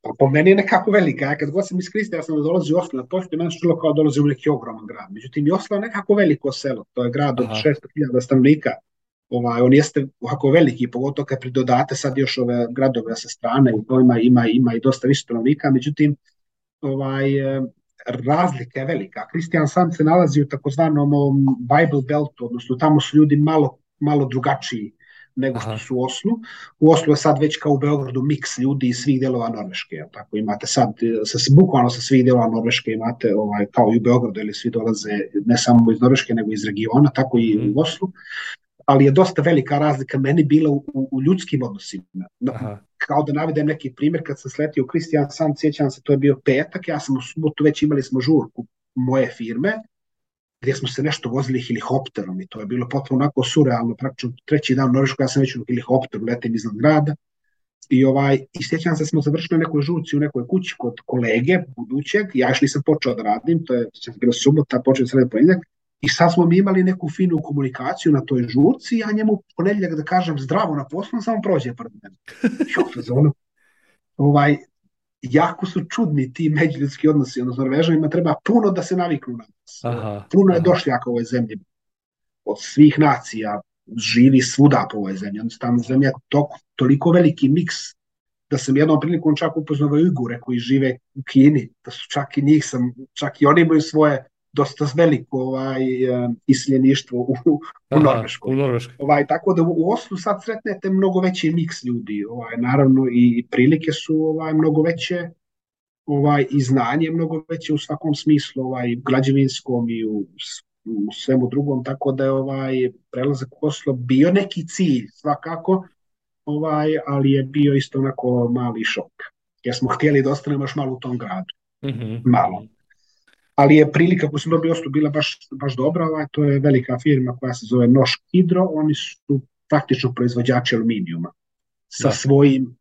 Pa po meni je nekako velika. Ja kad god sam iz Kristijansena dolazio u Oslo, na početku meni se čulo kao dolazi u neki ogroman grad. Međutim, i Oslo je nekako veliko selo. To je grad od 600.000 stanovnika. On jeste ovako veliki, pogotovo kad pridodate sad još ove gradove sa strane, u kojima ima i dosta više stanovnika. Međutim, razlika je velika. Kristijansand se nalazi u takozvanom Bible Beltu, odnosno tamo su ljudi malo drugačiji nego što su u Oslu. U Oslu je sad već kao u Beogradu miks ljudi iz svih dijelova Norveške. Tako imate sad, bukvalno sa svih dijelova Norveške imate, kao i u Beogradu, ili svi dolaze ne samo iz Norveške, nego iz regiona, tako i u Oslu. Ali je dosta velika razlika meni bila u ljudskim odnosima. Kao da navedem neki primjer, kad sam sletio u Kristijansand, sjećam se, to je bio petak, ja sam u subotu već imali smo žurku moje firme, gdje smo se nešto vozili helikopterom i to je bilo potpuno onako surrealno, praktično treći dan u Norveškoj ja sam već u helikopteru, letim iznad grada i sjećam se smo završili nekoj žurci u nekoj kući kod kolege budućeg, ja još nisam počeo da radim, to je bilo subota, počeo sredi ponedjeljak i sad smo mi imali neku finu komunikaciju na toj žurci, ja njemu ponedjeljak da kažem zdravo na poslu, samo prođe pred mene. Jako su čudni ti međuljudski odnosi, odnosno Norvežanima treba puno da se naviknu na nas. Puno je došljaka u ovoj zemlji. Od svih nacija živi svuda po ovoj zemlji. Tamo zemlja je toliko veliki miks da sam jednom prilikom čak upoznao Ujgure koji žive u Kini, da su čak i oni imaju svoje dosta veliko iseljeništvo u Norveškoj. Tako da u Oslu sad sretnete mnogo veći miks ljudi, naravno i prilike su mnogo veće, i znanje mnogo veće u svakom smislu, građevinskom i u svemu drugom, tako da je prelazak u Oslo bio neki cilj svakako, ali je bio isto onako mali šok, jer smo htjeli da ostanemo još malo u tom gradu. Malo. Ali je prilika koju sam dobio Oslo bila baš dobra, to je velika firma koja se zove Norsk Hydro, oni su praktično proizvođači aluminijuma sa svojim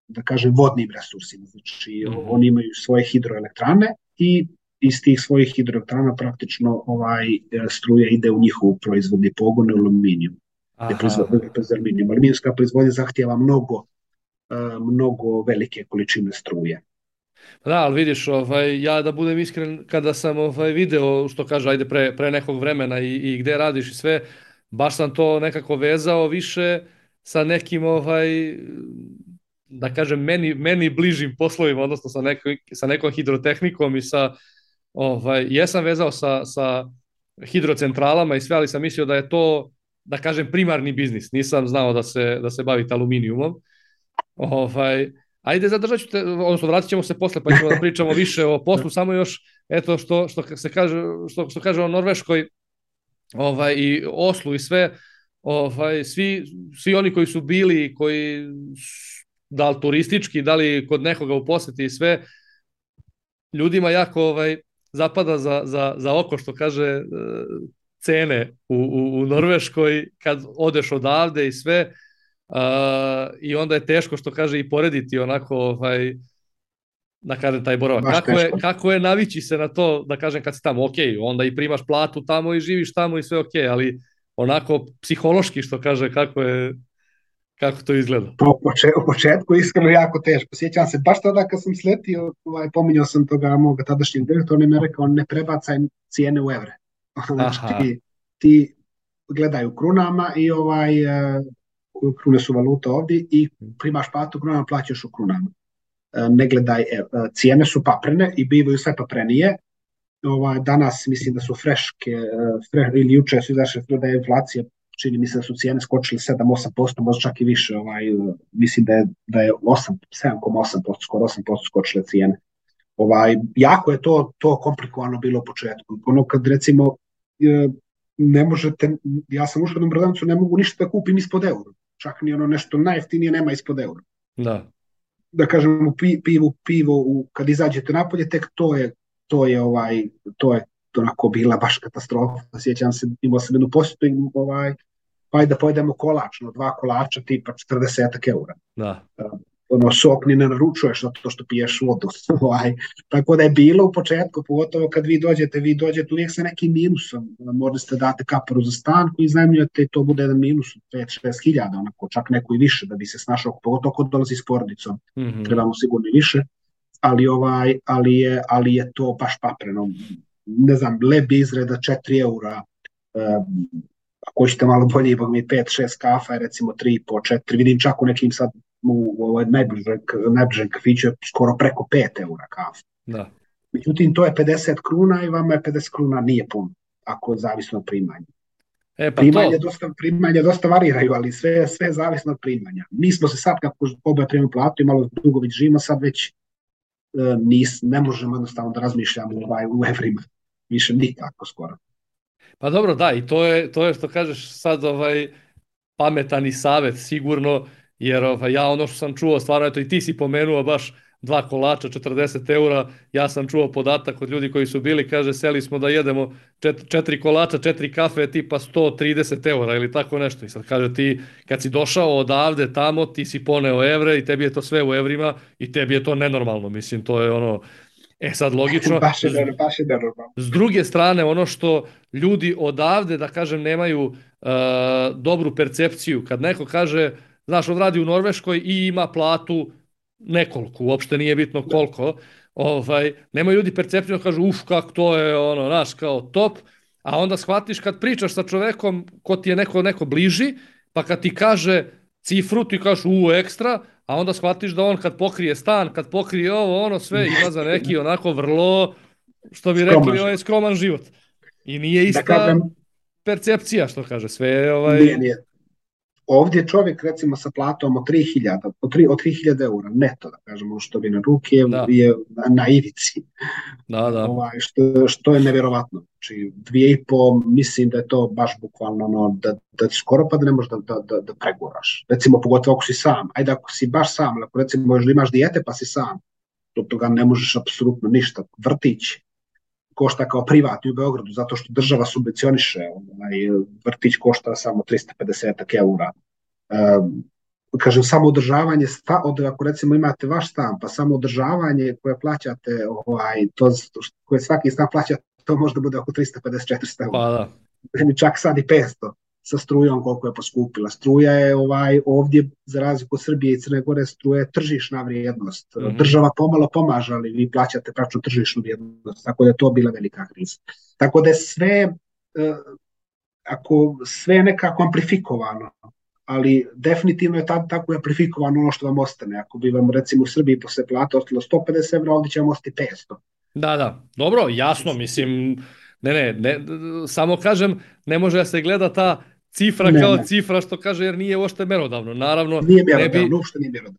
da kažem vodnim resursima, znači oni imaju svoje hidroelektrane i iz tih svojih hidroelektrana praktično struja ide u njihovu proizvodni pogon aluminijum. Aluminijumska proizvodnja zahtijeva mnogo velike količine struje. Da, ali vidiš, ja da budem iskren, kada sam video, što kaže, ajde pre nekog vremena i gde radiš i sve, baš sam to nekako vezao više sa nekim, da kažem, meni bližim poslovima, odnosno sa nekom hidrotehnikom i jesam vezao sa hidrocentralama i sve, ali sam mislio da je to, da kažem, primarni biznis. Nisam znao da se bavite aluminijumom. Ajde, zadržat ću te, odnosno vratit ćemo se posle, pa ćemo da pričamo više o poslu, samo još, eto, što se kaže, što kaže o Norveškoj i Oslu i sve, svi oni koji su bili, koji da li turistički, da li kod nekoga u poseti i sve, ljudima jako zapada za oko, što kaže, cene u Norveškoj kad odeš odavde i sve, i onda je teško, što kaže, i porediti onako, da kažem, taj boravak. Kako je navići se na to, da kažem, kad si tamo, ok, onda i primaš platu tamo i živiš tamo i sve ok, ali onako psihološki, što kaže, kako to izgleda? U početku iskreno jako teško. Sjećam se, baš tada kad sam sletio, pominjao sam toga moga tadašnjeg direktora, on je mi rekao, ne prebacaj cijene u evre. Znači, ti gledaj u krunama i krune su valuta ovdje i primaš platu u krunama, plaćaš u krunama. Ne gledaj, cijene su paprene i bivaju sve paprenije. Danas mislim da su freške, ili juče su izašle da je inflacija, čini mi se da su cijene skočile 7-8%, možda čak i više, mislim da je 7,8%, skoro 8% skočile cijene. Jako je to komplikovano bilo u početku. Ono kad recimo ne možete, ja sam ušao u prodavnicu, ne mogu ništa da kupim ispod eura. Čak ni ono nešto najjeftinije nema ispod eura. Da kažem, pivo kad izađete napolje, tek to je onako bila baš katastrofa. Sjećam se, imao sam jednu posjetu i pa da pojedemo kolač, 2 kolača tipa 40 eura. Sok ni ne naručuješ zato što piješ vodu. Tako da je bilo u početku, pogotovo kad vi dođete uvijek sa nekim minusom. Možda ste date kaparu za stan koji iznajmljujete i to bude jedan minus 5-6 hiljada, onako, čak neko i više da bi se snašao, pogotovo kod dolazi s porodicom. Trebamo sigurno i više, ali je to baš papreno. Ne znam, leb izreda 4 eura, ako ćete malo bolje, ipak mi 5-6 kafa, recimo 3,5-4, vidim čak u nekim sad u najbližem kafiću je skoro preko 5 eura kafa. Međutim, to je 50 kruna i vama je 50 kruna nije puno, ako zavisno od primanja. Primanja dosta variraju, ali sve je zavisno od primanja. Mi smo se sad, kako oboje primamo platu i malo dugo već živimo, sad već ne možemo jednostavno da razmišljamo u evrima. Više nikako skoro. Pa dobro, da, i to je što kažeš sad pametan i savjet sigurno, jer ja ono što sam čuo, stvarno, eto i ti si pomenuo baš 2 kolača, 40 eura, ja sam čuo podatak od ljudi koji su bili, kaže, seli smo da jedemo 4 kolača, 4 kafe, tipa 130 eura ili tako nešto. I sad kaže ti, kad si došao odavde tamo, ti si poneo evre i tebi je to sve u evrima i tebi je to nenormalno, mislim, to je ono... sad logično, s druge strane, ono što ljudi odavde, da kažem, nemaju dobru percepciju, kad neko kaže, znaš, on radi u Norveškoj i ima platu nekoliko, uopšte nije bitno koliko, nemaju ljudi percepciju, kažu, kako to je, znaš, kao top, a onda shvatiš kad pričaš sa čovekom ko ti je neko bliži, pa kad ti kaže cifru, ti kažeš ekstra, a onda shvatiš da on kad pokrije stan, kad pokrije ovo, sve ima za neki onako vrlo, što bi rekli, skroman život. I nije ista percepcija, što kaže, sve je... Nije. ovdje čovjek recimo sa platom od 3.000 eura neto, da kažemo, što bi na ruke je na ivici. Što je nevjerovatno. Znači 2,5, mislim da je to baš bukvalno da ti skoro pa da ne možeš da preguraš. Recimo pogotovo ako si sam. Ajde ako si baš sam, ako recimo još imaš dijete pa si sam, od toga ne možeš apsolutno ništa. Vrtić košta kao privatni u Beogradu, zato što država subvencioniše, vrtić košta samo 350 eura. Kažem, samo održavanje, ako recimo imate vaš stan, pa samo održavanje koje plaćate, koje svaki stan plaća, to možda bude oko 350-400 eura. Pa da. Čak sad i 500 sa strujom koliko je poskupila. Struja je ovdje, za razliku od Srbije i Crne Gore, struja je tržišna vrijednost. Država pomalo pomaže, ali vi plaćate praktično tržišnu vrijednost, tako da je to bila velika kriza. Tako da je sve nekako amplifikovano, ali definitivno je tako amplifikovano ono što vam ostane. Ako bi vam recimo u Srbiji posle plata ostalo 150 evra, ovdje će vam ostati 500. Da, dobro, jasno, mislim, ne, samo kažem, ne može da se gleda ta cifra kao cifra, što kaže, jer nije uopšte merodavno. Naravno,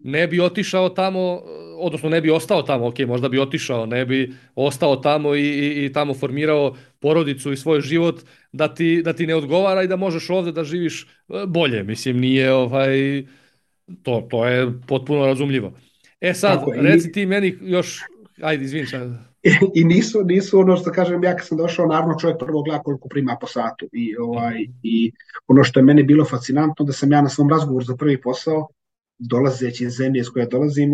ne bi otišao tamo, odnosno ne bi ostao tamo, ok, možda bi otišao, ne bi ostao tamo i tamo formirao porodicu i svoj život, da ti ne odgovara i da možeš ovdje da živiš bolje. Mislim, nije to je potpuno razumljivo. Sad, reci ti meni još, ajde, izvini. I nisu ono što kažem, ja kad sam došao, naravno čovjek prvo gleda koliko prima po satu. I ono što je meni bilo fascinantno, da sam ja na svom razgovoru za prvi posao, dolazeći iz zemlje iz koje dolazim,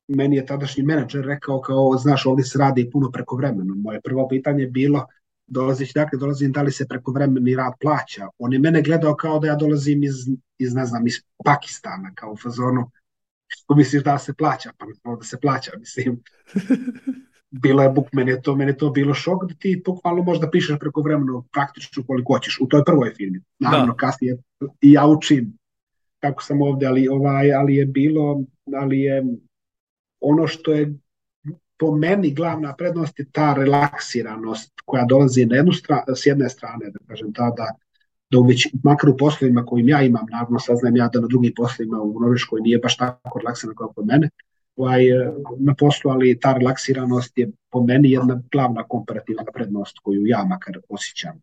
meni je tadašnji menadžer rekao kao, znaš, ovdje se radi puno prekovremeno. Moje prvo pitanje je bilo, dolazim, da li se prekovremeni rad plaća? On je mene gledao kao da ja dolazim iz Pakistana, kao u fazonu, što misliš da se plaća? Pa da se plaća, mislim. Bilo je meni je to bilo šok da ti bukvalno možda pišeš prekovremeno praktično koliko hoćeš u toj prvoj firmi. Naravno, kasnije i ja učim kako sam ovdje, ali je ono što je po meni glavna prednost je ta relaksiranost koja dolazi s jedne strane, da kažem, da makar u poslovima kojim ja imam, naravno saznajem ja da na drugim poslovima u Norveškoj nije baš tako relaksirano kao kod mene na poslu, ali ta relaksiranost je po meni jedna glavna komparativna prednost koju ja makar osjećam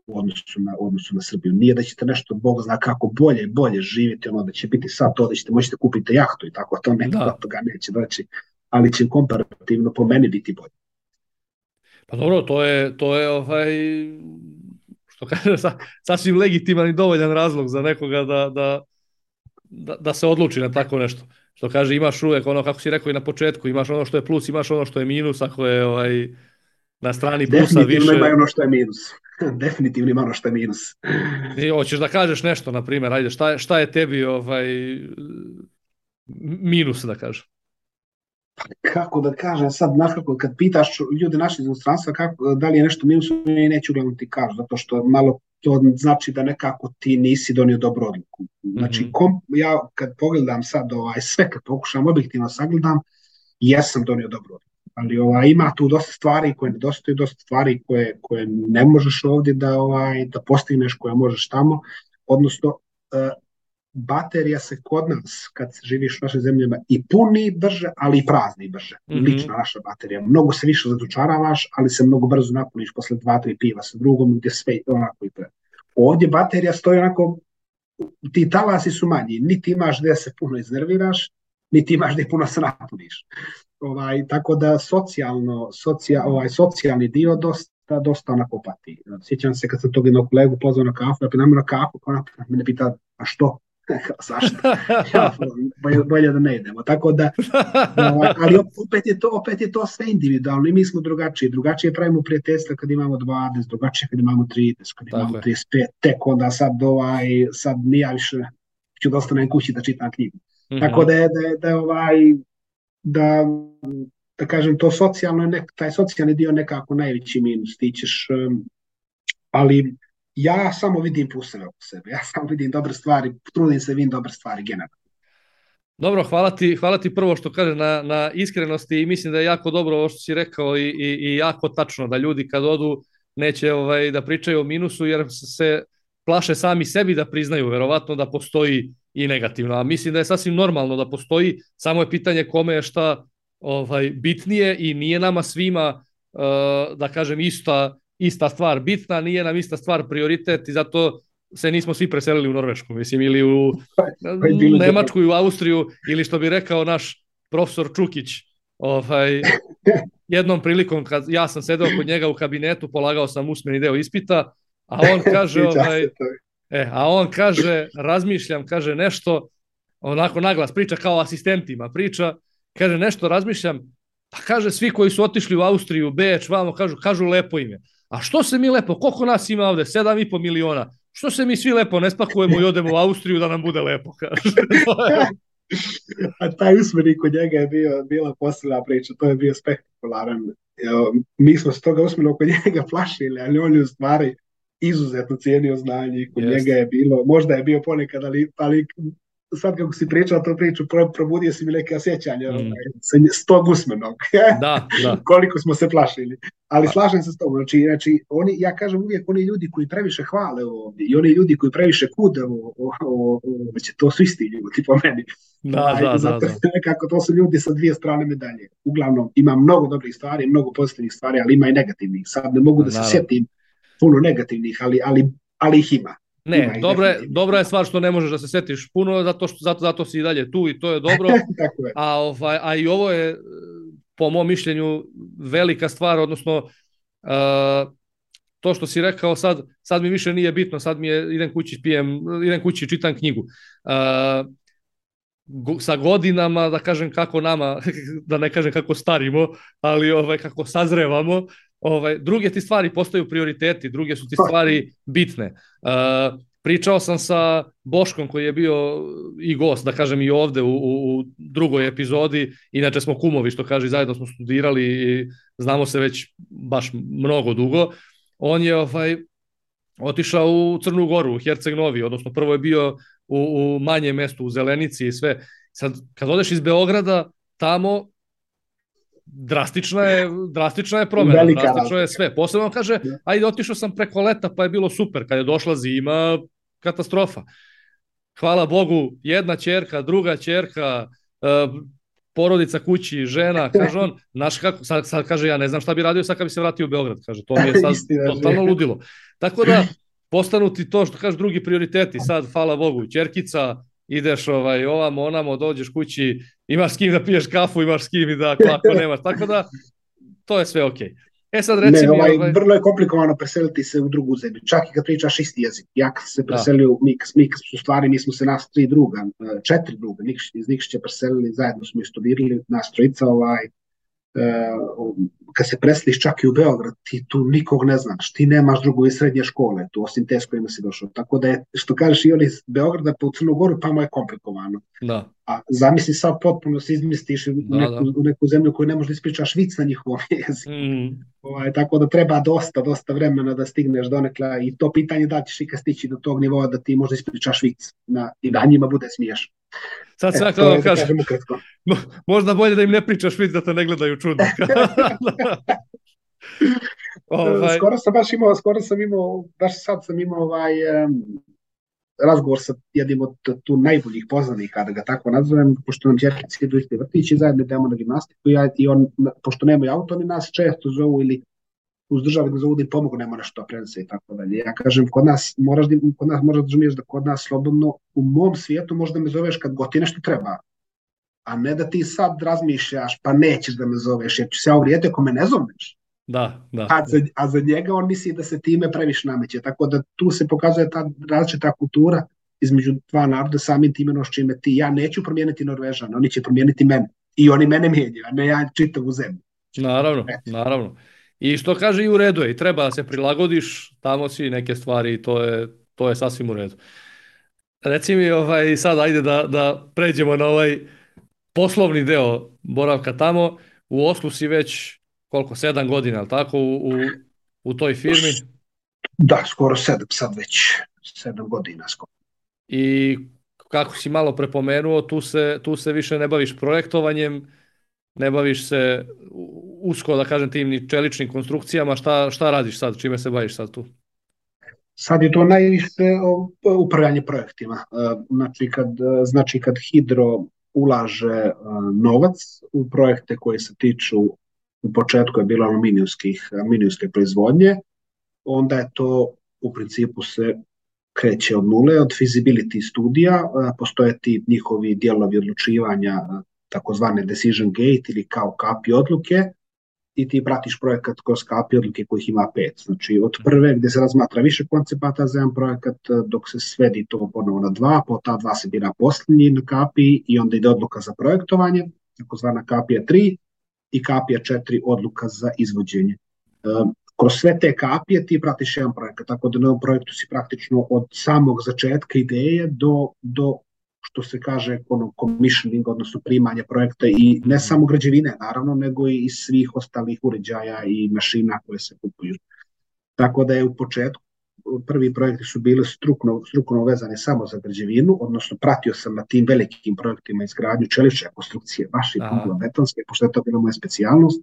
u odnosu na Srbiju. Nije da ćete nešto, Bog zna kako, bolje živjeti, da će biti sad to, da ćete moći da kupite jahtu i tako, to toga neće doći, ali će komparativno po meni biti bolje. Pa dobro, to je što kaže, sasvim legitiman i dovoljan razlog za nekoga da se odluči na tako nešto. Što kaže, imaš uvek ono, kako si rekao i na početku, imaš ono što je plus, imaš ono što je minus, ako je na strani plusa više. Definitivno ima ono što je minus. Definitivno ima ono što je minus. I hoćeš da kažeš nešto, na primjer, ajde, šta je tebi minus, da kažem? Kako da kažem, sad, kad pitaš ljude naše iz inostranstva da li je nešto minus, neću uglavnom ti kažu, zato što malo to znači da nekako ti nisi donio dobru odluku. Znači, ja kad pogledam sad sve, kad pokušam objektivno sagledam, jesam donio dobru odluku. Ali ima tu dosta stvari koje nedostaju, dosta stvari koje ne možeš ovdje da postigneš, koje možeš tamo. Odnosno, baterija se kod nas, kad živiš u našim zemljama, i puni brže, ali i prazni brže. Lična naša baterija. Mnogo se više zadučaravaš, ali se mnogo brzo napuniš posle 2-3 piva sa drugom, gdje sve onako i pre. Ovdje baterija stoji onako, ti talasi su manji, niti imaš gdje se puno iznerviraš, niti imaš gdje puno se napuniš. Tako da socijalni dio dosta onako pati. Sjećam se kad sam tog jednog kolegu pozvao na kafu, ja pinam na kafu, ona me pita, a što? Zašto? Bolje da ne idemo. Tako da, ali opet je to sve individualno i mi smo drugačije pravimo prijateljstva kad imamo 20, drugačije kad imamo 30, kad imamo 35, tek onda sad nije više ću da ostanem kući da čitam knjigu. Tako da kažem, to socijalno, taj socijalni dio nekako najveći minus, ti ćeš, ali ja samo vidim pluseve oko sebe, ja samo vidim dobre stvari, trudim se vidim dobre stvari generalno. Dobro, hvala ti prvo što kaže na iskrenosti i mislim da je jako dobro ovo što si rekao i jako tačno da ljudi kad odu neće da pričaju o minusu jer se plaše sami sebi da priznaju, verovatno da postoji i negativno. A mislim da je sasvim normalno da postoji, samo je pitanje kome je šta bitnije i nije nama svima, da kažem, ista stvar bitna, nije nam ista stvar prioritet i zato se nismo svi preselili u Norvešku, mislim, ili u Nemačku i u Austriju, ili što bi rekao naš profesor Čukić, jednom prilikom kad ja sam sedeo kod njega u kabinetu, polagao sam usmeni deo ispita, a on kaže, razmišljam, kaže nešto, onako naglas priča kao asistentima, kaže nešto, razmišljam, pa kaže svi koji su otišli u Austriju, Beč, vamo, kažu lepo ime. A što se mi lepo, koliko nas ima ovde, 7,5 miliona, što se mi svi lepo ne spakujemo i odemo u Austriju da nam bude lepo, kaže. A taj usmeni kod njega je bila posljedna priča, to je bio spektakularan. Mi smo se toga usmeno kod njega plašili, ali on je u stvari izuzetno cijenio znanje i kod njega je bilo, možda je bio ponekad, ali sad kako si pričao tu priču, probudio si mi neke osjećanja s tog usmenog. Da. Koliko smo se plašili. Ali slažem se s tobom. Znači, ja kažem uvijek, oni ljudi koji previše hvale ovdje i oni ljudi koji previše kude to su isti ljudi po meni. Zato nekako to su ljudi sa dvije strane medalje. Uglavnom, ima mnogo dobrih stvari, mnogo pozitivnih stvari, ali ima i negativnih. Sad ne mogu da se sjetim puno negativnih, ali ih ima. Ne, dobra je stvar što ne možeš da se setiš puno, zato si i dalje tu i to je dobro. A i ovo je, po mom mišljenju, velika stvar, odnosno to što si rekao sad mi više nije bitno, sad mi je idem kući i čitam knjigu. Sa godinama, da kažem kako nama, da ne kažem kako starimo, ali kako sazrevamo, druge ti stvari postaju prioriteti, druge su ti stvari bitne. Pričao sam sa Boškom koji je bio i gost, da kažem i ovde u drugoj epizodi, inače smo kumovi, što kaže, zajedno smo studirali i znamo se već baš mnogo dugo. On je otišao u Crnu Goru, u Herceg Novi, odnosno prvo je bio u manjem mestu, u Zelenici i sve. Sad, kad odeš iz Beograda, tamo drastična je promjena, drastično je sve. Posebno on kaže, ajde, otišao sam preko leta pa je bilo super, kad je došla zima, katastrofa. Hvala Bogu, jedna ćerka, druga ćerka, porodica kući, žena, kaže on, znaš kako, sad kaže, ja ne znam šta bi radio sad kad bi se vratio u Beograd, kaže, to mi je sad totalno ludilo. Tako da, postanu ti to što kaže drugi prioriteti, sad, hvala Bogu, ćerkica, ideš ovamo, onamo, dođeš kući, imaš s kim da piješ kafu, imaš s kim i da klako nemaš, tako da to je sve okej. Sad reci mi... Vrlo je komplikovano preseliti se u drugu zemlju, čak i kad pričaš isti jezik. Ja kad se preselio u mi smo se nas 4 druga, iz Nikšića preselili, zajedno smo i studirali, nas trojica, kad se preseliš čak i u Beograd, ti tu nikog ne znaš, ti nemaš drugove srednje škole, tu osim te s kojima si došao. Tako da je, što kažeš, i oni iz Beograda pa u Crnu Goru, pa mu je komplikovano. Da. A zamisli sad potpuno se izmistiš u neku zemlju koju ne možeš da ispričaš vic na njihovom jeziku. Tako da treba dosta vremena da stigneš donekle i to pitanje da ćeš ikad stići do tog nivoa da ti možda ispričaš vic i da njima bude smiješno. Sad sve kao kažem, možda bolje da im ne pričaš vic da te ne gledaju čudno. Skoro sam imao, baš sad sam imao razgovor sa jednim od tu najboljih poznanika, da ga tako nazovem, pošto nam ćerkici idu isti vrtići, zajedno idemo na gimnastiku i on, pošto nemaju auto, oni nas često zovu ili uz državu da zovu da im pomognemo nešto prenese i tako dalje. Ja kažem, kod nas moraš da razumiješ da kod nas slobodno u mom svijetu možda me zoveš kad god ti nešto treba, a ne da ti sad razmišljaš pa nećeš da me zoveš jer ću se uvrijediti ako me ne zoveš. Da. A za njega on misli da se time previše nameće, tako da tu se pokazuje ta različita kultura između dva naroda, samim time čime ja neću promijeniti Norvežana, oni će promijeniti mene i oni mene mijenjaju, a ne ja čitavu zemlju. Naravno. I što kaže i u redu je, i treba da se prilagodiš, tamo si neke stvari i to je sasvim u redu. Reci mi sad ajde da pređemo na ovaj poslovni deo boravka tamo. U Oslu si već koliko, 7 godina, ali tako, u toj firmi? Da, skoro 7, sad već 7 godina skoro. I kako si malo prepomenuo, tu se više ne baviš projektovanjem, ne baviš se usko, da kažem, tim ni čeličnim konstrukcijama, šta radiš sad, čime se baviš sad tu? Sad je to najviše upravljanje projektima. Znači kad Hidro ulaže novac u projekte koji se tiču, u početku je bilo aluminijske proizvodnje, onda je to u principu se kreće od nule, od feasibility studija, postoje ti njihovi dijelovi odlučivanja, takozvane decision gate ili kao kapi odluke, i ti pratiš projekat kroz kapi odluke kojih ima 5. Znači od prve gdje se razmatra više koncepata za jedan projekat, dok se svedi to ponovo na 2, po ta 2 se bira posljednji na kapi i onda ide odluka za projektovanje, takozvana kapija 3, i kapija 4 odluka za izvođenje. Kroz sve te kapije ti pratiš jedan projekat, tako da na ovom projektu si praktično od samog začetka ideje do što se kaže commissioning, odnosno primanje projekta, i ne samo građevine naravno, nego i svih ostalih uređaja i mašina koje se kupuju. Tako da je u početku prvi projekti su bili strukovno vezani samo za građevinu, odnosno pratio sam na tim velikim projektima izgradnju čelične konstrukcije, baš i betonske, pošto je to bila moja specijalnost,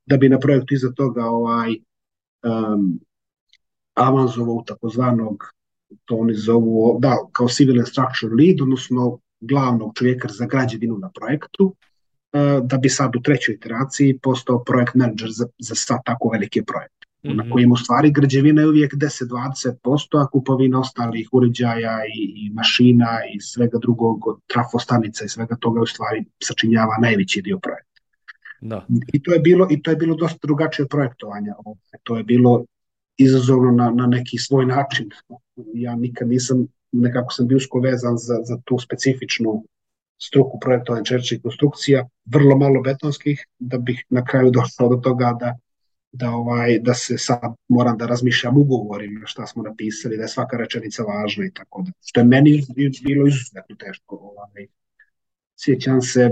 da bi na projektu iza toga avanzovao u takozvanog, to oni zovu, kao civil and structure lead, odnosno glavnog čovjeka za građevinu na projektu, da bi sad u trećoj iteraciji postao projekt manager za sad tako velike projekte. Na kojim u stvari građevina je uvijek 10-20%, a kupovina ostalih uređaja i mašina i svega drugog, od trafostanica i svega toga u stvari sačinjava najveći dio projekta. Da. I to je bilo dosta drugačije projektovanje. To je bilo izazovno na neki svoj način. Ja nikad nisam, nekako sam bio usko vezan za tu specifičnu struku projektovanja čeličnih konstrukcija, vrlo malo betonskih, da bih na kraju došao do toga da se sad moram da razmišljam ugovorima šta smo napisali, da je svaka rečenica važna i tako da. Što je meni bilo izuzetno teško. Sjećam se,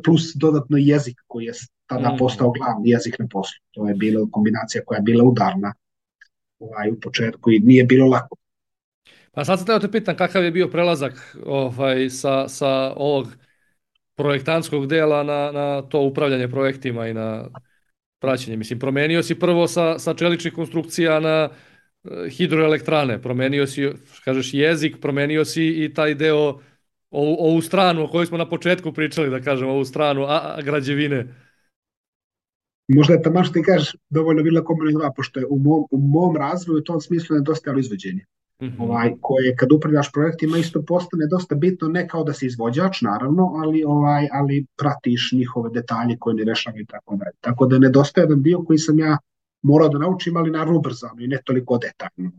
plus dodatno jezik koji je tada postao glavni jezik na poslu. To je bila kombinacija koja je bila udarna u početku i nije bilo lako. Pa sad sam te pitam kakav je bio prelazak sa ovog projektantskog dela na to upravljanje projektima i na praćenje. Mislim, promenio si prvo sa čeličnih konstrukcija na hidroelektrane, promenio si, kažeš, jezik, promenio si i taj deo, ovu stranu o kojoj smo na početku pričali, da kažem, ovu stranu građevine. Možda je tamo što ti kažeš dovoljno bila kombinacija, pošto je u mom razvoju u tom smislu nedostajalo izvođenje. Koje kad upravljaš projektima isto postane dosta bitno, ne kao da si izvođač naravno, ali pratiš njihove detalje koje ne rešavaju i tako dalje. Tako da nedostaje jedan dio koji sam ja morao da naučim, ali naravno ubrzano i ne toliko detaljno.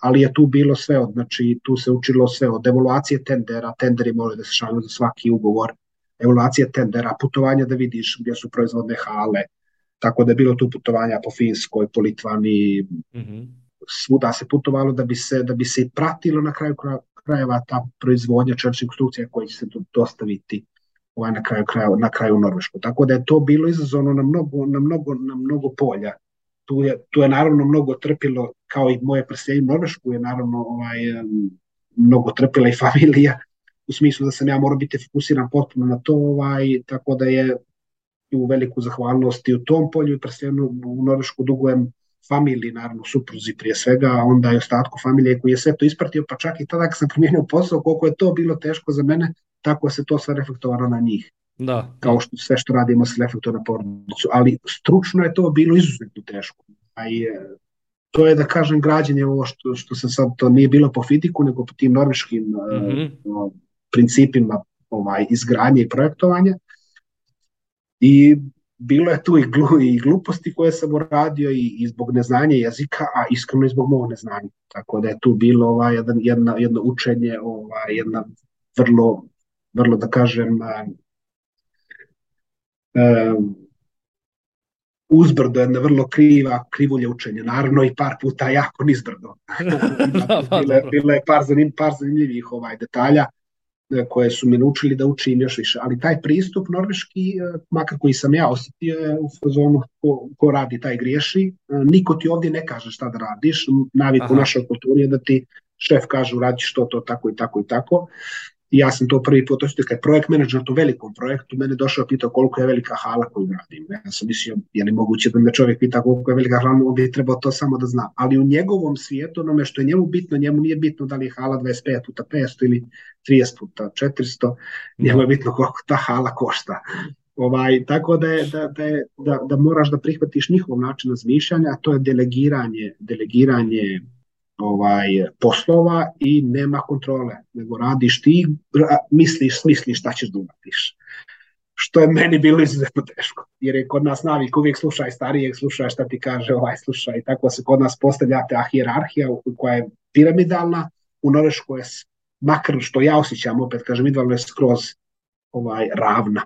Ali je tu bilo sve, znači tu se učilo sve od evaluacije tendera, tenderi moraju da se šalju za svaki ugovor, evaluacije tendera, putovanja da vidiš gdje su proizvodne hale, tako da je bilo tu putovanja po Finskoj, po Litvani, svuda se putovalo da bi se pratilo na kraju krajeva ta proizvodnja čeličnih konstrukcija koja će se dostaviti na kraju u Norvešku. Tako da je to bilo izazovno na mnogo polja. Tu je naravno mnogo trpilo, kao i moje preseljenje u Norvešku je naravno mnogo trpila i familija, u smislu da sam ja morao biti fokusiran potpuno na to, tako da je u veliku zahvalnost i u tom polju i preseljenju u Norvešku dugujem familiji, naravno supruzi prije svega, a onda i ostatku familije koji je sve to ispratio, pa čak i tada kad sam promijenio posao, koliko je to bilo teško za mene, tako se to sve reflektovalo na njih. Da. Kao što sve što radimo se reflektuje na porodicu, ali stručno je to bilo izuzetno teško. To je, da kažem, građenje ovo što se sad, to nije bilo po fiziku, nego po tim norveškim principima izgradnje i projektovanja. I bilo je tu i gluposti koje sam uradio i zbog neznanja jezika, a iskreno i zbog mog neznanja. Tako da je tu bilo jedno učenje, jedna vrlo, da kažem, uzbrdo, jedna vrlo krivulje učenja. Naravno i par puta jako nizbrdo. Bilo je par zanimljivih detalja koje su mi naučili da učim još više, ali taj pristup norveški, makar koji sam ja osjetio, je u fazonu ko radi taj griješi, niko ti ovdje ne kaže šta da radiš, navik u našoj kulturi je da ti šef kaže uradiš to, tako i tako i tako, ja sam to prvi put, to je projekt menadžer na tom velikom projektu, mene došao i pitao koliko je velika hala koju radim. Ja sam mislio, je li moguće da me čovjek pita koliko je velika hala, on bi trebao to samo da zna. Ali u njegovom svijetu, onome što je njemu bitno, njemu nije bitno da li je hala 25 puta 500 ili 30 puta 400, njemu je bitno koliko ta hala košta. Tako da moraš da prihvatiš njihov način razmišljanja, a to je delegiranje poslova i nema kontrole, nego radiš ti, misliš šta ćeš da uradiš. Što je meni bilo izuzetno teško, jer je kod nas navik uvijek slušaj starijeg, slušaj šta ti kaže slušaj, tako se kod nas postavlja ta hijerarhija koja je piramidalna, u Norveškoj je, makar što ja osjećam, opet kažem, idealno je skroz ravna.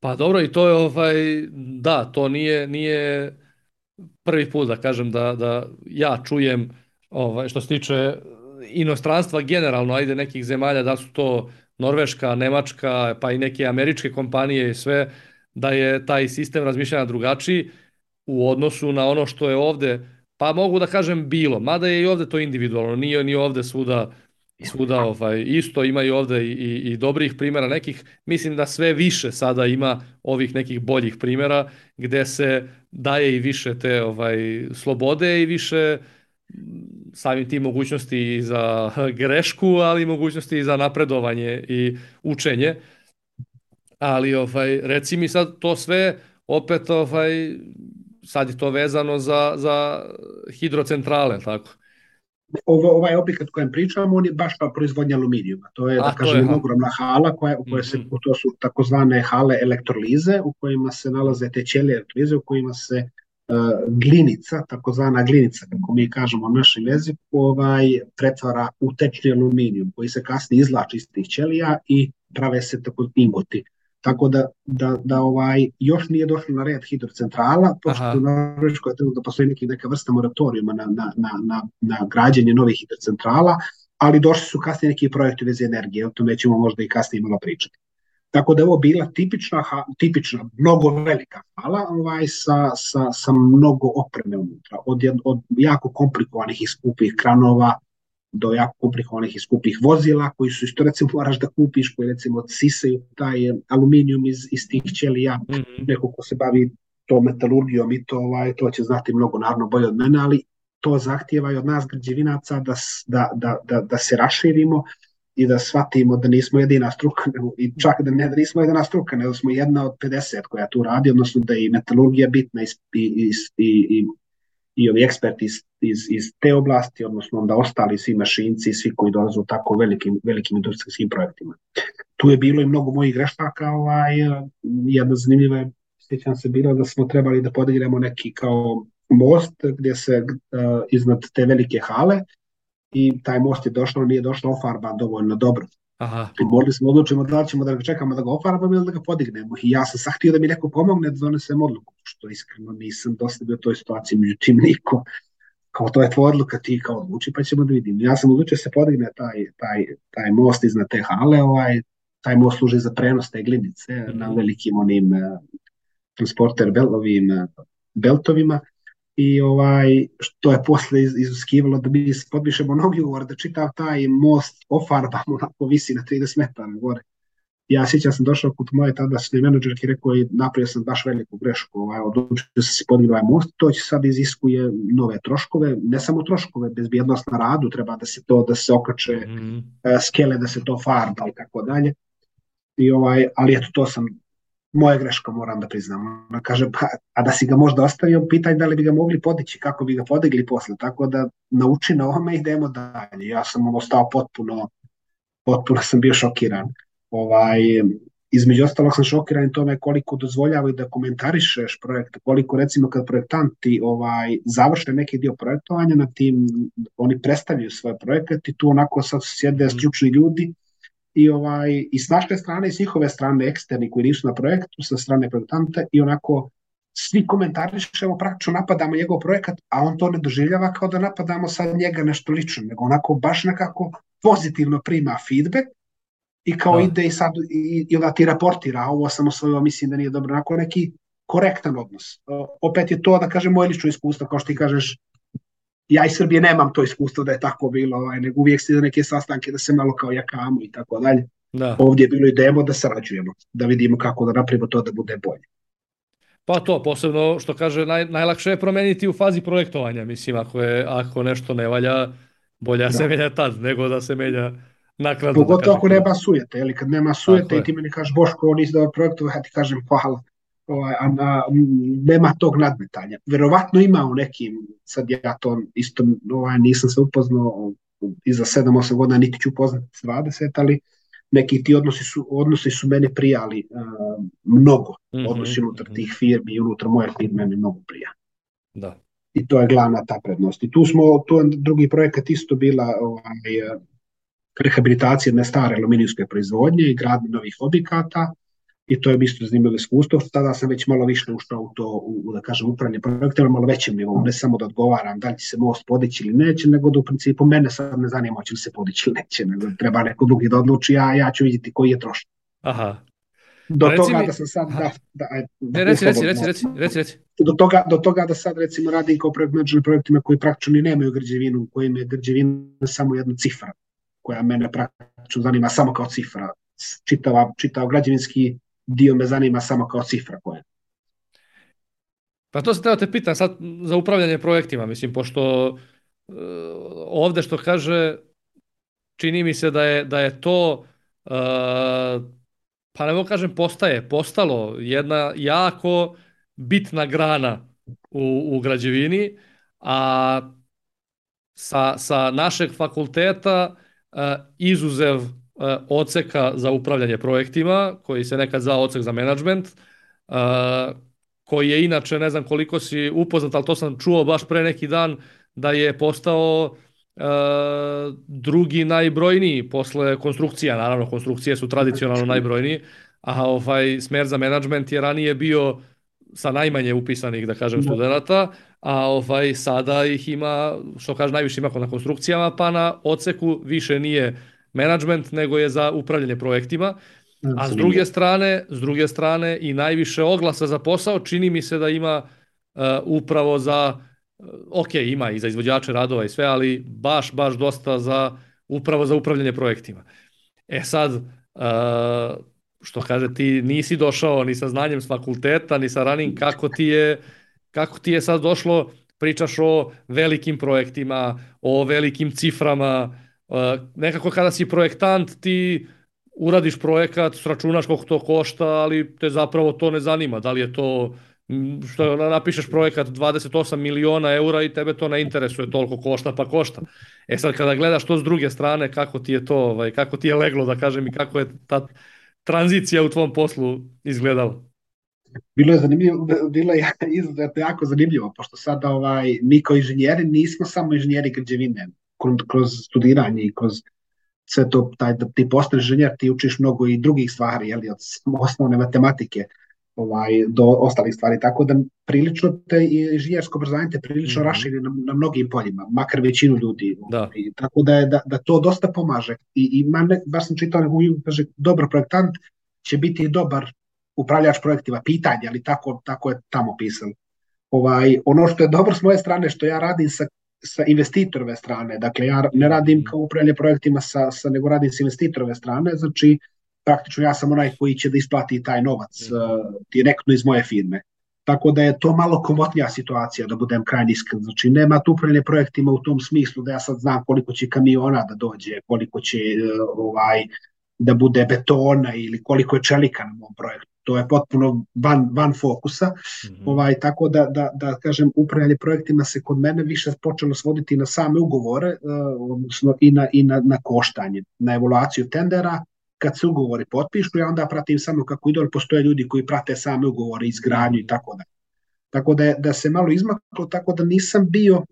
Pa dobro, i to je, da, to nije prvi put da kažem da ja čujem što se tiče inostranstva generalno, ajde nekih zemalja, da su to Norveška, Nemačka, pa i neke američke kompanije i sve, da je taj sistem razmišljanja drugačiji u odnosu na ono što je ovde, pa mogu da kažem bilo, mada je i ovde to individualno, nije ni ovde svuda isto, ima i ovde i dobrih primjera nekih, mislim da sve više sada ima ovih nekih boljih primjera gde se daje i više te slobode i više samim tim mogućnosti i za grešku, ali i mogućnosti i za napredovanje i učenje. Ali reci mi sad to sve opet sad je to vezano za hidrocentrale, tako? Ovaj objekat kojem pričamo, on je baš pa proizvodnja aluminijuma. To je, da kažem, ogromna hala to su takozvane hale elektrolize, u kojima se nalaze te ćelije elektrolize, u kojima se glinica, takozvana glinica, kako mi kažemo na našem jeziku, pretvara u tečni aluminijum, koji se kasnije izvlači iz tih ćelija i prave se tako ingoti. Tako da još nije došlo na red hidrocentrala, pošto u Norveškoj da postoji neka vrsta moratorijuma na građenje novih hidrocentrala, ali došli su kasnije neki projekti veze energije, o tome ćemo možda i kasnije malo pričati. Tako da je ovo bila tipična, mnogo velika hala sa mnogo opreme unutra, od jako komplikovanih i skupih kranova do jako komplikovanih i skupih vozila koji su isto recimo moraš da kupiš, koji recimo sisaju taj aluminijum iz tih ćelija. Neko ko se bavi to metalurgijom i to će znati mnogo naravno bolje od mene, ali to zahtijeva i od nas građevinaca da se raširimo i da shvatimo da nismo jedina struka, i čak da nismo jedina struka, nego smo jedna od 50 koja tu radi, odnosno da je i metalurgija bitna i ovi eksperti iz te oblasti, odnosno onda ostali svi mašinci, svi koji dolaze u tako velikim industrijskim projektima. Tu je bilo i mnogo mojih grešaka, jedna zanimljiva je, sjećam se, bilo da smo trebali da podignemo neki kao most gdje se iznad te velike hale i taj most je došao, nije došao ofarban dovoljno dobro. I morali smo odlučiti da li ćemo da ga čekamo da ga ofarbamo ili da ga podignemo. I ja sam sad htio da mi neko pomogne da donesem odluku, što iskreno nisam dosta bio u toj situaciji, međutim niko. Kao to je tvoja odluka, ti kao odluči pa ćemo da vidimo. Ja sam odlučio da se podigne taj most iznad te hale, taj most služi za prenos te glinice na velikim onim transporter beltovima. I što je posle izuskivalo da mi potpišemo novi ugovor, da čitav taj most ofarbamo, onako visi na 30 metara gore. Ja sjećam sam došao kod moje tadašnje menadžerke i rekao, napravio sam baš veliku grešku, odlučio sam se podignuti ovaj most, to će sad iziskuje nove troškove, ne samo troškove, bezbjednost na radu, treba da se okače skele, da se to farba i tako dalje. Ali eto, to sam moja greška, moram da priznam. Ona kaže, a da si ga možda ostavio, pitaj da li bi ga mogli podići, kako bi ga podigli posle, tako da nauči na ovome i idemo dalje. Ja sam ostao potpuno sam bio šokiran. Između ostalog sam šokiran i tome koliko dozvoljavaju da komentarišeš projekt, koliko recimo kad projektanti završe neki dio projektovanja na tim, oni predstavljaju svoj projekat i tu onako sad sjede ključni ljudi i s naše strane i s njihove strane eksterni koji nisu na projektu, sa strane projektanta i onako svi komentarišemo, praktično napadamo njegov projekat, a on to ne doživljava kao da napadamo sad njega nešto lično, nego onako baš nekako pozitivno prima feedback i kao ide i sad i onda ti raportira, ovo sam osvojio, mislim da nije dobro, onako neki korektan odnos. Opet je to, da kažem, moje lično iskustvo, kao što ti kažeš, ja iz Srbije nemam to iskustvo da je tako bilo, nego uvijek se neke sastanke da se malo kao jakamo i tako dalje. Da. Ovdje je bilo idemo da sarađujemo, da vidimo kako da napravimo to da bude bolje. Pa to, posebno što kaže, najlakše je promeniti u fazi projektovanja. Mislim, ako nešto ne valja, bolje se menja tad, nego da se menja naknadno. Pogotovo ako nema sujete, ili kad nema sujete i ti meni kažeš Boško, nisi dobro projektovao, ja ti kažem hvala. Nema tog nadmetanja. Verovatno ima u nekim, sad ja to isto nisam se upoznao i za 7-8 godina, niti ću upoznati 20, ali neki ti odnosi su meni prijali mnogo. Odnosi unutar tih firmi i unutar moje firme mi mnogo prija. Da. I to je glavna ta prednost. I tu je drugi projekat isto bila rehabilitacija jedne stare aluminijske proizvodnje i gradnje novih objekata. I to je isto zanimljivo iskustvo. Tada sam već malo više ušao u to, da kažem, upravljanje projektima, malo većem nivou. Ne samo da odgovaram da li će se most podići ili neće, nego da u principu mene sad ne zanima će li se podići ili neće, nego treba neko drugi da odluči, ja ću vidjeti koji je trošak. Aha. Do toga da sam sad... Reci. Do toga da sad recimo radim kao projekt menadžer projektima koji praktično ni nemaju građevinu, u kojim je građevina samo jedna cifra, koja mene praktično zanima samo kao cifra. Čitav građevinski dio me zanima samo kao cifra koja. Pa to se treba te pitam sad za upravljanje projektima, mislim, pošto ovde što kaže, čini mi se da je to, pa ne mogu kažem postalo jedna jako bitna grana u građevini, a sa našeg fakulteta izuzev odseka za upravljanje projektima, koji se nekad zvao odsek za menadžment, koji je inače, ne znam koliko si upoznat, ali to sam čuo baš pre neki dan, da je postao drugi najbrojniji posle konstrukcija. Naravno, konstrukcije su tradicionalno najbrojniji, a smer za menadžment je ranije bio sa najmanje upisanih, da kažem, studenta, a sada ih ima, što kaže, najviše ima na konstrukcijama, pa na odseku više nije menadžment, nego je za upravljanje projektima. A s druge strane i najviše oglasa za posao čini mi se da ima upravo za, ima i za izvođače radova i sve, ali baš dosta upravo za upravljanje projektima. Sad, što kaže, ti nisi došao ni sa znanjem s fakulteta, ni sa ranim, kako ti je sad došlo, pričaš o velikim projektima, o velikim ciframa, nekako kada si projektant ti uradiš projekat, sračunaš koliko to košta, ali te zapravo to ne zanima. Da li je to, što napišeš projekat 28 miliona eura i tebe to ne interesuje, toliko košta pa košta. Sad kada gledaš to s druge strane, kako ti je to, kako ti je leglo, da kažem, i kako je ta tranzicija u tvom poslu izgledala? Bilo je zanimljivo, bilo je izuzetno jako zanimljivo, pošto sada mi kao inženjeri nismo samo inženjeri građevine, kroz studiranje i kroz sve to, da ti postaneš inženjer, ti učiš mnogo i drugih stvari, od osnovne matematike do ostalih stvari, tako da prilično inženjersko obrazovanje te prilično raširi na mnogim poljima, makar većinu ljudi. Tako da to dosta pomaže. I baš sam čitao, kaže, dobar projektant će biti i dobar upravljač projektima, pitanje, ali tako je tamo pisano. Ono što je dobro s moje strane, što ja radim sa investitorove strane, dakle ja ne radim kao upravljanje projektima nego radim sa investitorove strane, znači praktično ja sam onaj koji će da isplati taj novac direktno iz moje firme. Tako da je to malo komotnija situacija, da budem krajnje iskren. Znači nema tu upravljanje projektima u tom smislu da ja sad znam koliko će kamiona da dođe, koliko će da bude betona ili koliko je čelika na mom projektu. To je potpuno van fokusa. Tako da kažem, upravljanje projektima se kod mene više počelo svoditi na same ugovore, odnosno i na koštanje, na evaluaciju tendera. Kad se ugovori potpišu, ja onda pratim samo kako ide, ali postoje ljudi koji prate same ugovore, izgradnju i tako da. Tako da se malo izmaklo, tako da nisam bio,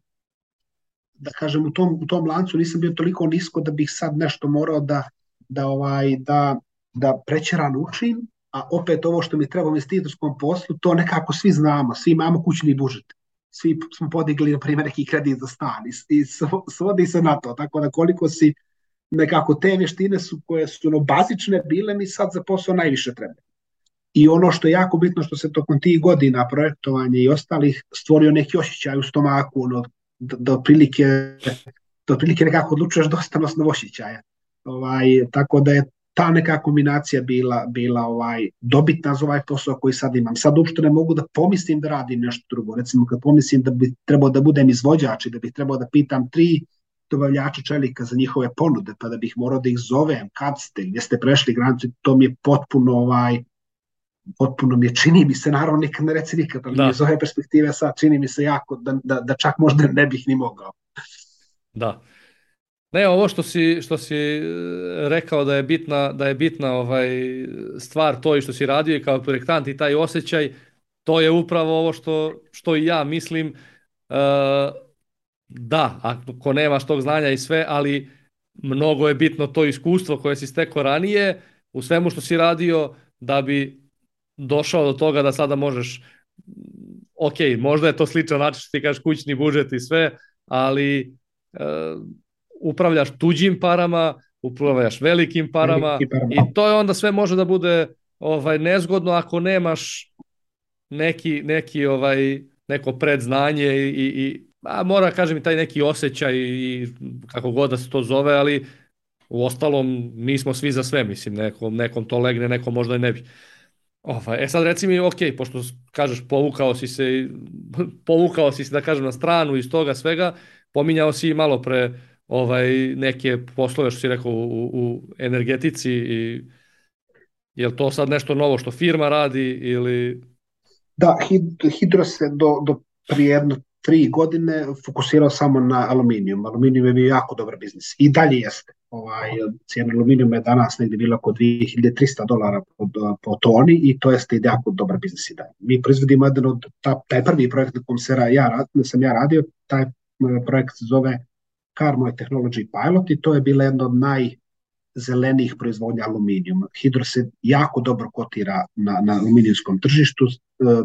da kažem, u tom lancu nisam bio toliko nisko da bih sad nešto morao da prećerano učim, a opet ovo što mi treba u investitorskom poslu, to nekako svi znamo, svi imamo kućni budžet. Svi smo podigli, na primjer, neki kredit za stan i svodi se na to, tako da koliko si nekako te vještine koje su bazične bile mi sad za posao najviše treba. I ono što je jako bitno, što se tokom tih godina projektovanja i ostalih stvorio neki osjećaj u stomaku, da otprilike nekako odlučuješ dosta na osnovu osjećaja. Tako da je ta neka kombinacija bila dobitna za ovaj posao koji sad imam. Sad uopšte ne mogu da pomislim da radim nešto drugo. Recimo kad pomislim da bi trebao da budem izvođač i da bih trebao da pitam 3 dobavljača čelika za njihove ponude, pa da bih morao da ih zovem, kad ste, gdje ste prešli granicu, to mi je potpuno mi je, čini mi se, naravno nikad ne reci nikad, ali iz ove perspektive sad čini mi se jako da čak možda ne bih ni mogao. Da. Ne, ovo što si rekao da je bitna stvar to i što si radio i kao projektant i taj osjećaj, to je upravo ovo što i ja mislim. Da, ako nemaš tog znanja i sve, ali mnogo je bitno to iskustvo koje si stekao ranije u svemu što si radio da bi došao do toga da sada možeš, ok, možda je to sličan način što ti kažeš kućni budžet i sve, ali upravljaš tuđim parama, upravljaš velikim parama i to je onda sve može da bude nezgodno ako nemaš neko predznanje i mora kažem i taj neki osjećaj i kako god da se to zove, ali u ostalom nismo svi za sve, mislim, nekom to legne, nekom možda i ne bi. Sad reci mi, ok, pošto kažeš povukao si se da kažem na stranu iz toga svega, pominjao si malo pre neke poslove što si rekao u energetici i je li to sad nešto novo što firma radi ili... Da, Hidro se do prije 3 godine fokusirao samo na aluminijum. Aluminijum je bio jako dobar biznis i dalje jeste. Cijena aluminijuma je danas negdje bila oko $2.300 po toni i to jeste jako dobar biznis i dalje. Mi proizvodimo jedan od, taj prvi projekt na kom sam ja radio, taj projekt se zove Carmo Technology Pilot i to je bila jedna od najzelenijih proizvodnja aluminijuma. Hidro se jako dobro kotira na aluminijskom tržištu.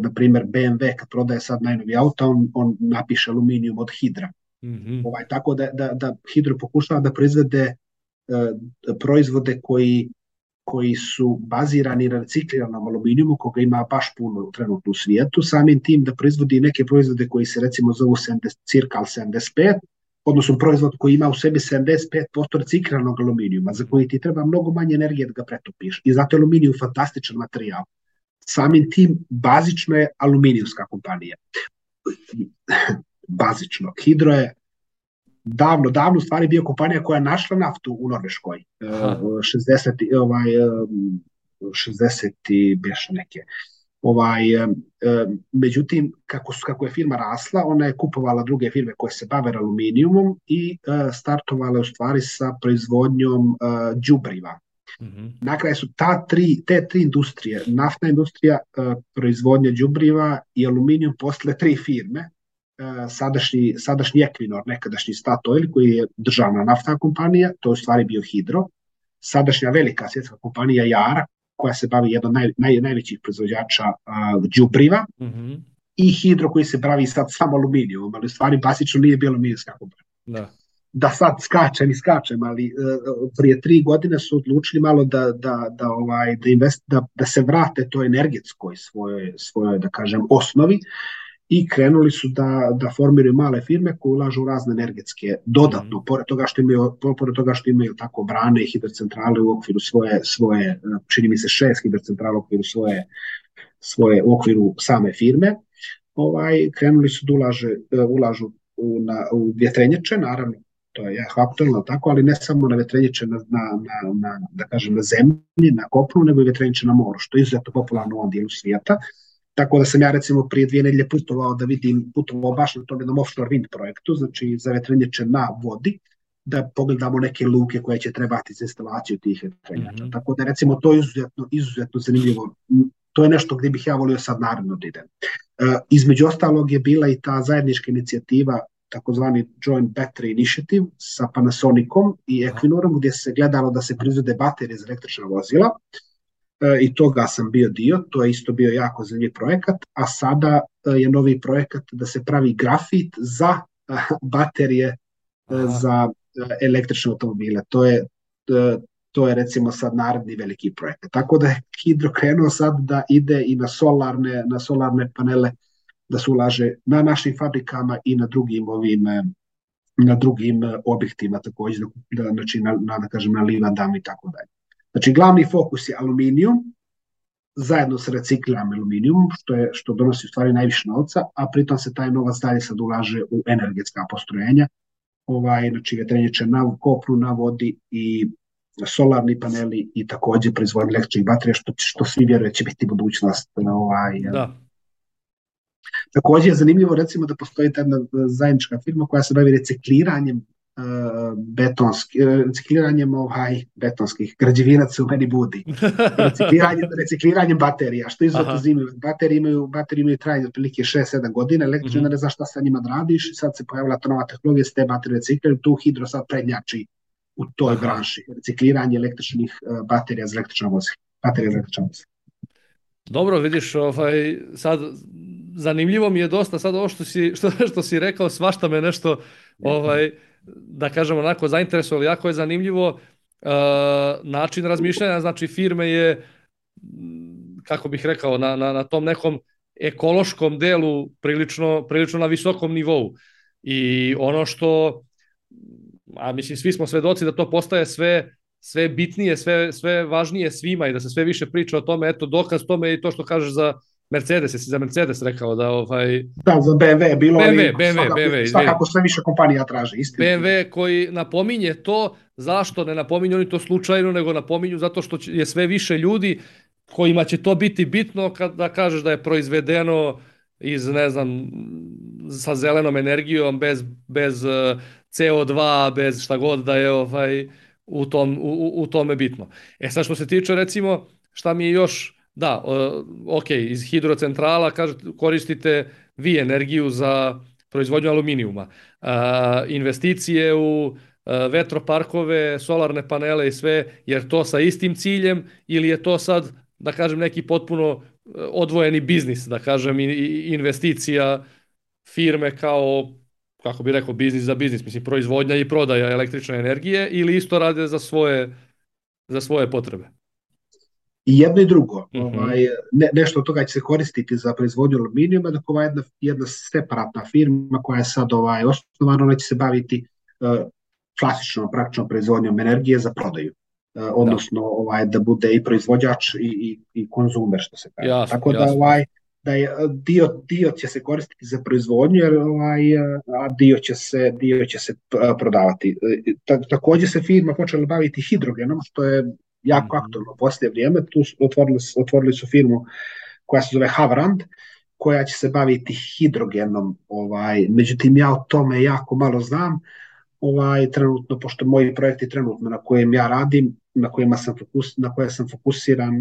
Na primjer BMW kad prodaje sad najnovi auto, on napiše aluminijum od Hidra. Mm-hmm. Tako da Hidro pokušava da proizvede proizvode koji su bazirani na recikliranom aluminijumu, koga ima baš puno trenutno u svijetu, samim tim da proizvodi neke proizvode koji se recimo zovu Circal 75, odnosno proizvod koji ima u sebi 75% recikliranog aluminijuma, za koji ti treba mnogo manje energije da ga pretopiš. I zato je aluminijum fantastičan materijal. Samim tim, bazično je aluminijumska kompanija. Bazično. Hidro je davno u stvari bio kompanija koja je našla naftu u Norveškoj. 60 i beš neke. Međutim, kako je firma rasla, ona je kupovala druge firme koje se bave aluminijumom i startovala u stvari sa proizvodnjom đubriva. Mm-hmm. Na kraju su te tri industrije, naftna industrija, proizvodnja đubriva i aluminijum postale 3 firme. Sadašnji Equinor, nekadašnji Statoil, koji je državna naftna kompanija, to je u stvari bio Hidro. Sadašnja velika svjetska kompanija Yara, koja se bavi jednom najvećih proizvođača đubriva, mm-hmm. i Hidro koji se bavi sad samo aluminijom, ali u stvari basično nije bilo aluminijska kompanija. Da sad skačem, ali prije 3 godine su odlučili malo da se vrate to energetskoj svojoj da kažem osnovi i krenuli su da formiraju male firme koje ulažu u razne energetske dodatno, pored toga što imaju tako brane i hidrocentrale u okviru svoje čini mi se 6 hidrocentrala u okviru svoje u okviru same firme. Krenuli su da ulažu u vjetrenjače, naravno to je aktualno tako, ali ne samo na vjetrenjače da kažem na zemlji, na kopnu, nego i vjetrenjače na moru, što je izuzetno popularno u ovom dijelu svijeta. Tako da sam ja recimo prije 2 nedelje putovao baš na tom jednom offshore wind projektu, znači za vjetrenjače na vodi, da pogledamo neke luke koje će trebati za instalaciju tih vjetrenjača. Mm-hmm. Tako da recimo to je izuzetno zanimljivo. To je nešto gdje bih ja volio sad naravno da idem. Između ostalog je bila i ta zajednička inicijativa, takozvani Joint Battery Initiative sa Panasonicom i Equinorom, gdje se gledalo da se proizvode baterije za električna vozila. I toga sam bio dio, to je isto bio jako zanimljiv projekat, a sada je novi projekat da se pravi grafit za baterije za električne automobile. To je recimo sad naredni veliki projekat. Tako da je Hidro krenuo sad da ide i na solarne panele da se ulaže na našim fabrikama i na drugim objektima također, znači da kažem na livadama i tako dalje. Znači glavni fokus je aluminijum, zajedno sa recikliranim aluminijumom, što donosi u stvari najviše novca, a pritom se taj novac dalje sad ulaže u energetska postrojenja, znači vjetrenjače na kopnu, na vodi i solarni paneli i također proizvodnje električnih baterija, što svi vjeruju će biti budućnost. Da. Također je zanimljivo recimo da postoji jedna zajednička firma koja se bavi recikliranjem betonskih građevinaca u meni budi. Recikliranjem baterija, što je izuzetno zanimljivo. Baterije imaju trajanje otprilike 6-7 godina, električne ne znaš šta sa njima da radiš, sad se pojavila ta nova tehnologija, se te baterije recikliraju, tu Hidro sad prednjači u toj branši, recikliranje električnih baterija za električna vozila. Dobro, vidiš, sad zanimljivo mi je dosta sad ovo što si rekao, svašta me nešto da kažem onako zainteresovalo, jako je zanimljivo način razmišljanja, znači firme je, kako bih rekao, na tom nekom ekološkom delu prilično na visokom nivou. I ono što, a mislim svi smo svedoci da to postaje sve bitnije, sve važnije svima i da se sve više priča o tome, eto dokaz tome je i to što kažeš za Mercedes, jesi za Mercedes rekao da Da, za BMW, BMW, svakako sve više kompanija traže, istina. BMW koji napominje to, zašto ne napominju oni to slučajno, nego napominju zato što je sve više ljudi kojima će to biti bitno kada kažeš da je proizvedeno iz, ne znam, sa zelenom energijom, bez CO2, bez šta god da je u tome bitno. Sad što se tiče recimo, šta mi je još, da, ok, iz hidrocentrala koristite vi energiju za proizvodnju aluminijuma. Investicije u vetroparkove, solarne panele i sve, jer to sa istim ciljem ili je to sad, da kažem, neki potpuno odvojeni biznis, da kažem, investicija firme kao, kako bi rekao, biznis za biznis, mislim, proizvodnja i prodaja električne energije ili isto rade za svoje potrebe? I jedno i drugo. Nešto od toga će se koristiti za proizvodnju aluminijuma, dok jedna separatna firma koja je sad osnovana, ona će se baviti klasičnom, praktičnom proizvodnjom energije za prodaju. Odnosno da bude i proizvođač i konzumer, što se kaže. Jasno, tako da da je dio će se koristiti za proizvodnju, a dio će se prodavati. Također se firma počela baviti hidrogenom, što je jako aktualno u posljednje vrijeme. Tu otvorili su firmu koja se zove Havrand, koja će se baviti hidrogenom. Međutim, ja o tome jako malo znam. Trenutno, pošto moji projekti trenutno na kojem ja radim, na koje sam fokusiran,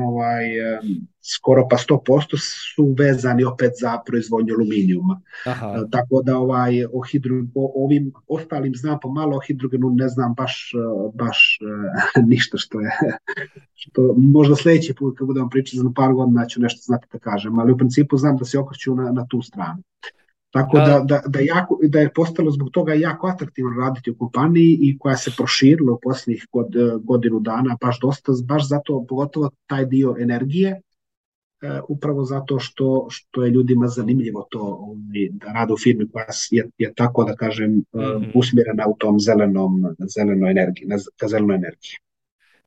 skoro pa 100% su vezani opet za proizvodnju aluminijuma. Tako da o ovim ostalim znam pomalo, o hidrogenu ne znam baš ništa što možda sljedeći put kad budemo pričati za par godina ću nešto znati da kažem, ali u principu znam da se okreću na tu stranu. Tako da je postalo zbog toga jako atraktivno raditi u kompaniji i koja se proširila u posljednjih godinu dana baš dosta, baš zato, pogotovo taj dio energije, upravo zato što je ljudima zanimljivo to da rade u firmi koja je tako, da kažem, usmjerena u tom zelenoj energiji, ka zelenoj energiji.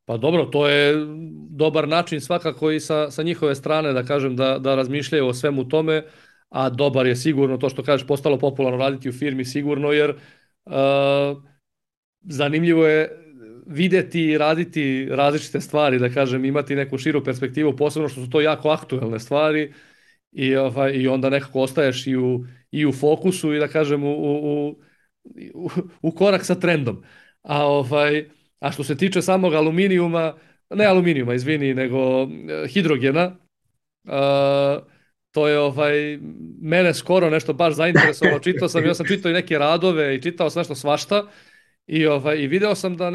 Pa dobro, to je dobar način svakako i sa njihove strane, da kažem, da razmišljaju o svemu tome. A dobar je sigurno to što kažeš, postalo popularno raditi u firmi sigurno, jer zanimljivo je vidjeti i raditi različite stvari, da kažem, imati neku širu perspektivu, posebno što su to jako aktuelne stvari i onda nekako ostaješ i u fokusu i da kažem u korak sa trendom. A što se tiče samog nego hidrogena, to je mene skoro nešto baš zainteresovalo. Ja sam čitao i neke radove i čitao sam nešto svašta i video sam da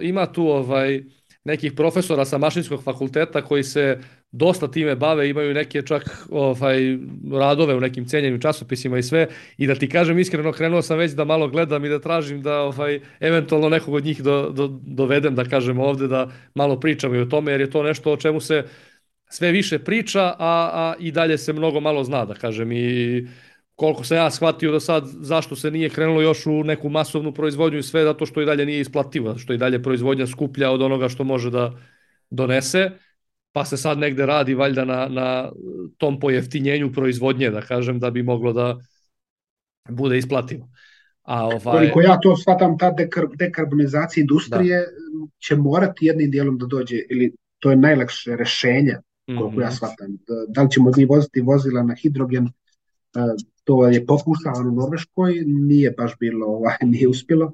ima tu nekih profesora sa mašinskog fakulteta koji se dosta time bave, imaju neke čak radove u nekim cenjenim časopisima i sve, i da ti kažem iskreno, krenuo sam već da malo gledam i da tražim da eventualno nekog od njih dovedem, da kažem ovdje, da malo pričam i o tome, jer je to nešto o čemu se sve više priča, a i dalje se mnogo malo zna, da kažem, i koliko sam ja shvatio do sad, zašto se nije krenulo još u neku masovnu proizvodnju i sve, zato što i dalje nije isplativo, zato što i dalje proizvodnja skuplja od onoga što može da donese, pa se sad negde radi valjda na tom pojeftinjenju proizvodnje, da kažem, da bi moglo da bude isplativo. Koliko ja to shvatam, ta dekarbonizacija industrije će morati jednim dijelom da dođe, ili to je najlakše rešenje, koliko ja shvatam. Da li ćemo mi voziti vozila na hidrogen, to je pokušavano u Norveškoj, nije baš bilo, nije uspjelo,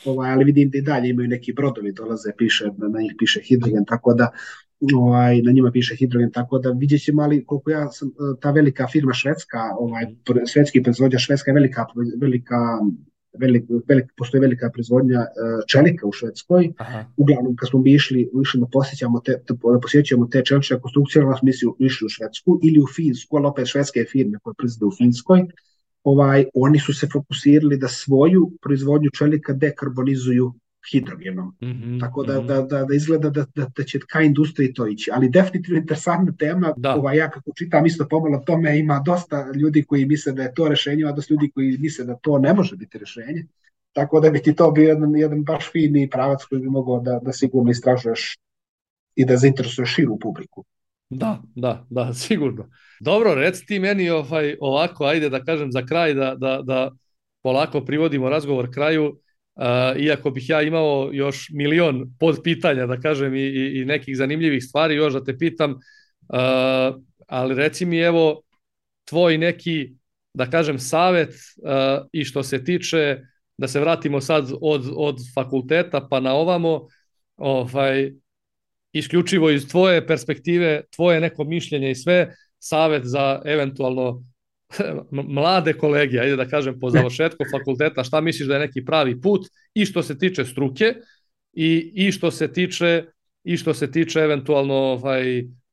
ali vidim da i dalje imaju neki brodovi, dolaze, na njih piše hidrogen, tako da na njima piše hidrogen, tako da vidjet ćemo, ali koliko ja sam, ta velika firma švedska, švedski proizvođač, Švedska je postoji velika proizvodnja čelika u Švedskoj. Uglavnom kad smo išli da posjećujemo te čelične konstrukcije, mi smo išli u Švedsku ili u Finsku, ali opet švedske firme koje proizvode u Finskoj, oni su se fokusirali da svoju proizvodnju čelika dekarbonizuju hidrogenom. Tako da izgleda da će ka industriji to ići. Ali definitivno interesantna tema. Ja kako čitam isto pomalo tome, ima dosta ljudi koji misle da je to rešenje, a dosta ljudi koji misle da to ne može biti rešenje. Tako da bi ti to bio jedan baš fini pravac koji bi mogao da sigurno istražuješ i da zainteresuješ širu publiku. Da, sigurno. Dobro, reci ti meni ovako, ajde da kažem za kraj, da polako privodimo razgovor kraju, iako bih ja imao još milion podpitanja, da kažem, i nekih zanimljivih stvari još da te pitam, ali reci mi evo tvoj neki, da kažem, savet i što se tiče, da se vratimo sad od fakulteta pa na ovamo, isključivo iz tvoje perspektive, tvoje neko mišljenje i sve, savet za eventualno mlade kolege, ajde da kažem, po završetku fakulteta, šta misliš da je neki pravi put i što se tiče struke i što se tiče eventualno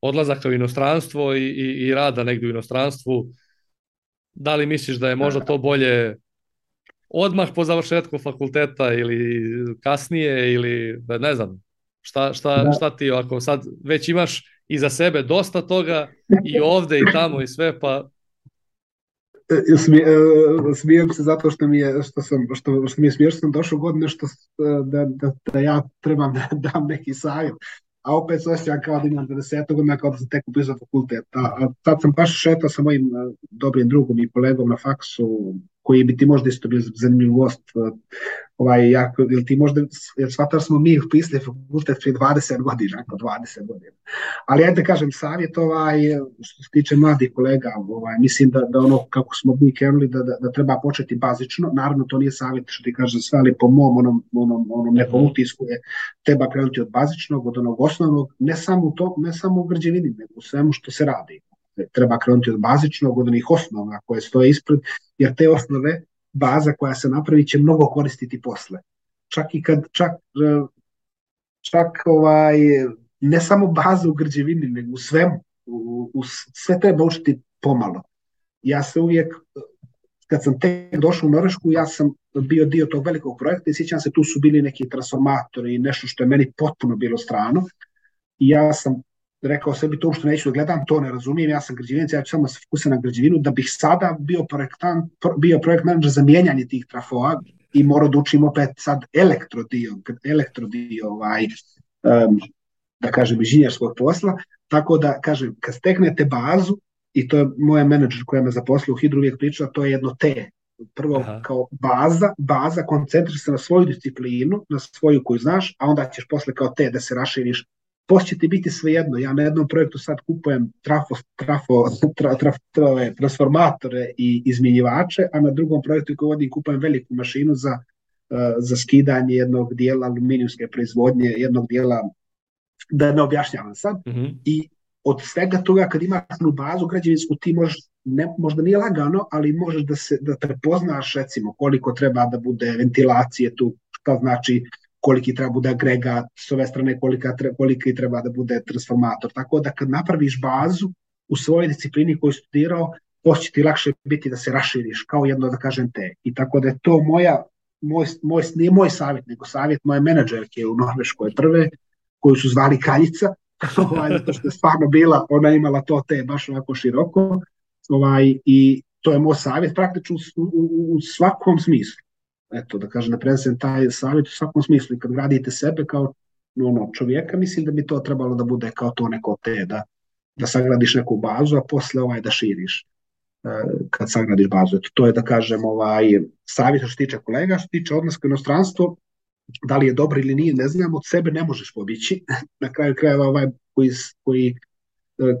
odlazaka u inostranstvo i rada negdje u inostranstvu, da li misliš da je možda to bolje odmah po završetku fakulteta ili kasnije, ili ne znam, šta ti ako sad već imaš iza sebe dosta toga i ovde i tamo i sve, pa smijem se zato što mi je smiješno, što sam došao godine da ja trebam da dam neki savjet, a opet se osjećam kao da imam 20 godina, kao da sam tek upisao fakultet. Sad sam baš šetao sa mojim dobrim drugom i kolegom na faksu, koji bi ti možda isto bio zanimljiv gost, ili ti možda, jer shvatar smo mi upisali fakultet prije 20 godina, ali ajde da kažem savjet, što se tiče mladih kolega, mislim da ono kako smo mi krenuli, da treba početi bazično, naravno to nije savjet što ti kažem sve, ali po mom onom nekom utisku je, treba krenuti od bazičnog, od onog osnovnog, ne samo u građevini, nego u svemu što se radi. Treba krenuti od bazičnog, od onih osnova koje stoje ispred, jer te osnove, baza koja se napravi će mnogo koristiti posle. Čak ne samo baza u građevini, nego u svemu. Sve treba učiti pomalo. Ja se uvijek, kad sam tek došao u Norvešku, ja sam bio dio tog velikog projekta i sjećam se, tu su bili neki transformatori i nešto što je meni potpuno bilo strano. I ja sam rekao sebi to što neću da gledam, to ne razumijem, ja sam građevinac, ja ću samo se fokusirati na građevinu, da bih sada bio projekt menadžer za mijenjanje tih trafoa i morao da učim opet sad elektrodio, da kažem, inženjerskog posla, tako da kažem, kad steknete bazu, i to je moja menadžer koja me zaposlila u Hidru uvijek pričala, to je jedno T. Prvo kao baza, koncentriš se na svoju disciplinu, na svoju koju znaš, a onda ćeš posle kao T da se raširiš. Poslije će ti biti svejedno. Ja na jednom projektu sad kupujem transformatore i izmjenjivače, a na drugom projektu koji vodim kupujem veliku mašinu za skidanje jednog dijela aluminijumske proizvodnje, jednog dijela, da ne objašnjavam sad. I od svega toga, kad imaš jednu bazu građevinsku, ti možda nije lagano, ali možeš da prepoznaš, recimo, koliko treba da bude ventilacije tu, šta znači koliki treba bude agregat, s ove strane koliki treba da bude transformator. Tako da kad napraviš bazu u svojoj disciplini koju studirao, poći ti lakše biti da se raširiš, kao jedno, da kažem, te. I tako da je to nije moj savjet, nego savjet moje menadžerke u Norveškoj prve, koju su zvali Kraljica, Zato što je stvarno bila, ona imala to te baš ovako široko, i to je moj savjet praktično u svakom smislu. Eto, da kažem, da prenesem taj savjet u svakom smislu i kad gradite sebe kao čovjeka, mislim da bi to trebalo da bude kao to neko te, da sagradiš neku bazu, a posle da širiš kad sagradiš bazu. Eto, to je da kažem savjet što se tiče kolega, što se tiče odlaska u inostranstvo, da li je dobro ili nije, ne znam, od sebe ne možeš pobjeći. Na kraju krajeva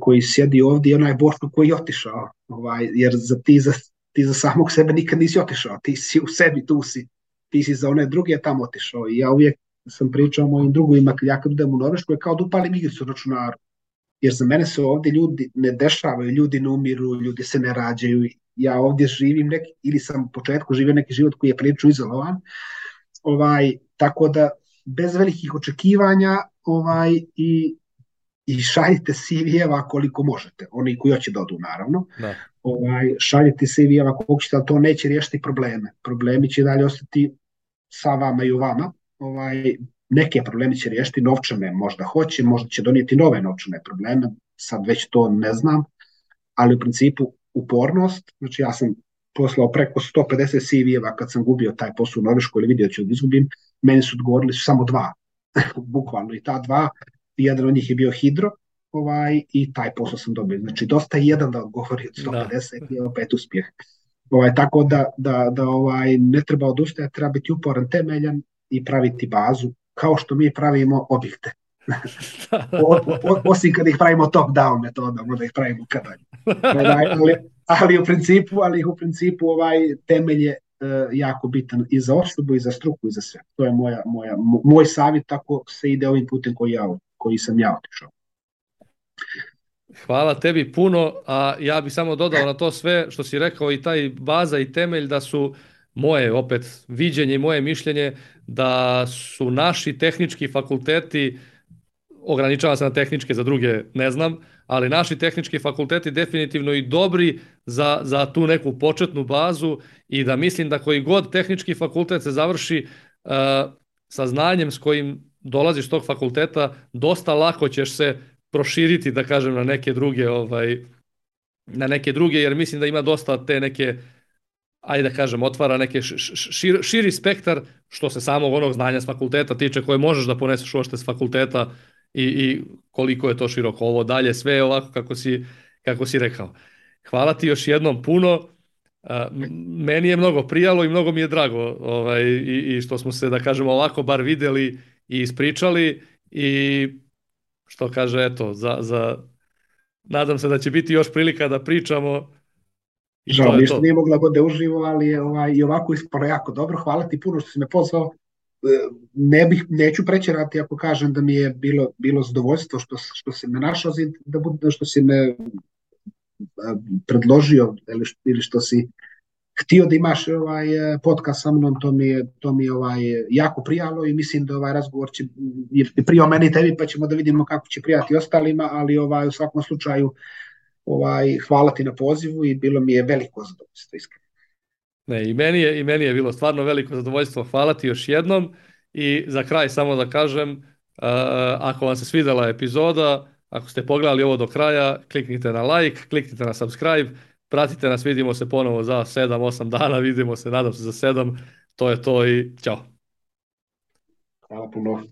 koji sjedi ovdje je onaj Boško koji je otišao, jer ti za samog sebe nikad nisi otišao, ti si u sebi, ti si za one druge tamo otišao. I ja uvijek sam pričao o mojim drugovima, ja kad idem u Norvešku je kao da upalim igricu na računaru, jer za mene se ovdje ljudi ne dešavaju, ljudi ne umiru, ljudi se ne rađaju, ja ovdje živim ili sam u početku živio neki život koji je prilično izolovan, tako da bez velikih očekivanja i šaljite CV-eva koliko možete, oni koji hoće da odu naravno, šaljite CV-eva koliko ćete, ali to neće riješiti probleme. Problemi će dalje ostati sa vama i u vama, neke problemi će riješiti, novčane možda hoće, možda će donijeti nove novčane probleme, sad već to ne znam, ali u principu upornost, znači ja sam poslao preko 150 CV-eva kad sam gubio taj posao u Norveškoj ili vidio ću da izgubim, meni su odgovorili samo 2, bukvalno, i ta 2, jedan od njih je bio Hidro, i taj posao sam dobio. Znači, dosta je jedan da odgovori od 150 i opet uspjeh. Tako da ne treba odustajati, treba biti uporan, temeljan i praviti bazu, kao što mi pravimo objekte. Osim kad ih pravimo top-down metodom, onda ih pravimo kadalje. Ali u principu temelj je jako bitan i za osobu i za struku i za sve. To je moj savjet, tako se ide ovim putem koji sam ja otišao. Hvala tebi puno, a ja bih samo dodao na to sve što si rekao i taj baza i temelj da su moje opet viđenje i moje mišljenje da su naši tehnički fakulteti, ograničavam se na tehničke, za druge ne znam, ali naši tehnički fakulteti definitivno i dobri za tu neku početnu bazu i da mislim da koji god tehnički fakultet se završi sa znanjem s kojim dolaziš s tog fakulteta, dosta lako ćeš se proširiti, da kažem, na neke druge, jer mislim da ima dosta te neke, ajde da kažem, otvara neke širi spektar što se samog onog znanja s fakulteta tiče, koje možeš da poneseš uopšte s fakulteta i koliko je to široko. Ovo dalje sve je ovako kako si rekao. Hvala ti još jednom puno. Meni je mnogo prijalo i mnogo mi je drago i što smo se, da kažemo, ovako bar vidjeli i ispričali i što kaže, eto, nadam se da će biti još prilika da pričamo. Žao mi što nije mogla bude uživo, ali je i ovako ispalo jako dobro. Hvala ti puno što si me pozvao. Neću prećerati ako kažem da mi je bilo zadovoljstvo što si me našao, što si me predložio ili što si htio da imaš podcast sa mnom, to mi je jako prijalo i mislim da ovaj razgovor će prijao meni i tebi, pa ćemo da vidimo kako će prijati ostalima, ali u svakom slučaju hvala ti na pozivu i bilo mi je veliko zadovoljstvo, iskreno. Ne, i meni je bilo stvarno veliko zadovoljstvo. Hvala ti još jednom i za kraj samo da kažem, ako vam se svidjela epizoda, ako ste pogledali ovo do kraja, kliknite na like, kliknite na subscribe, pratite nas, vidimo se ponovo za 7-8 dana, vidimo se, nadam se, za 7. To je to i ćao. Hvala puno.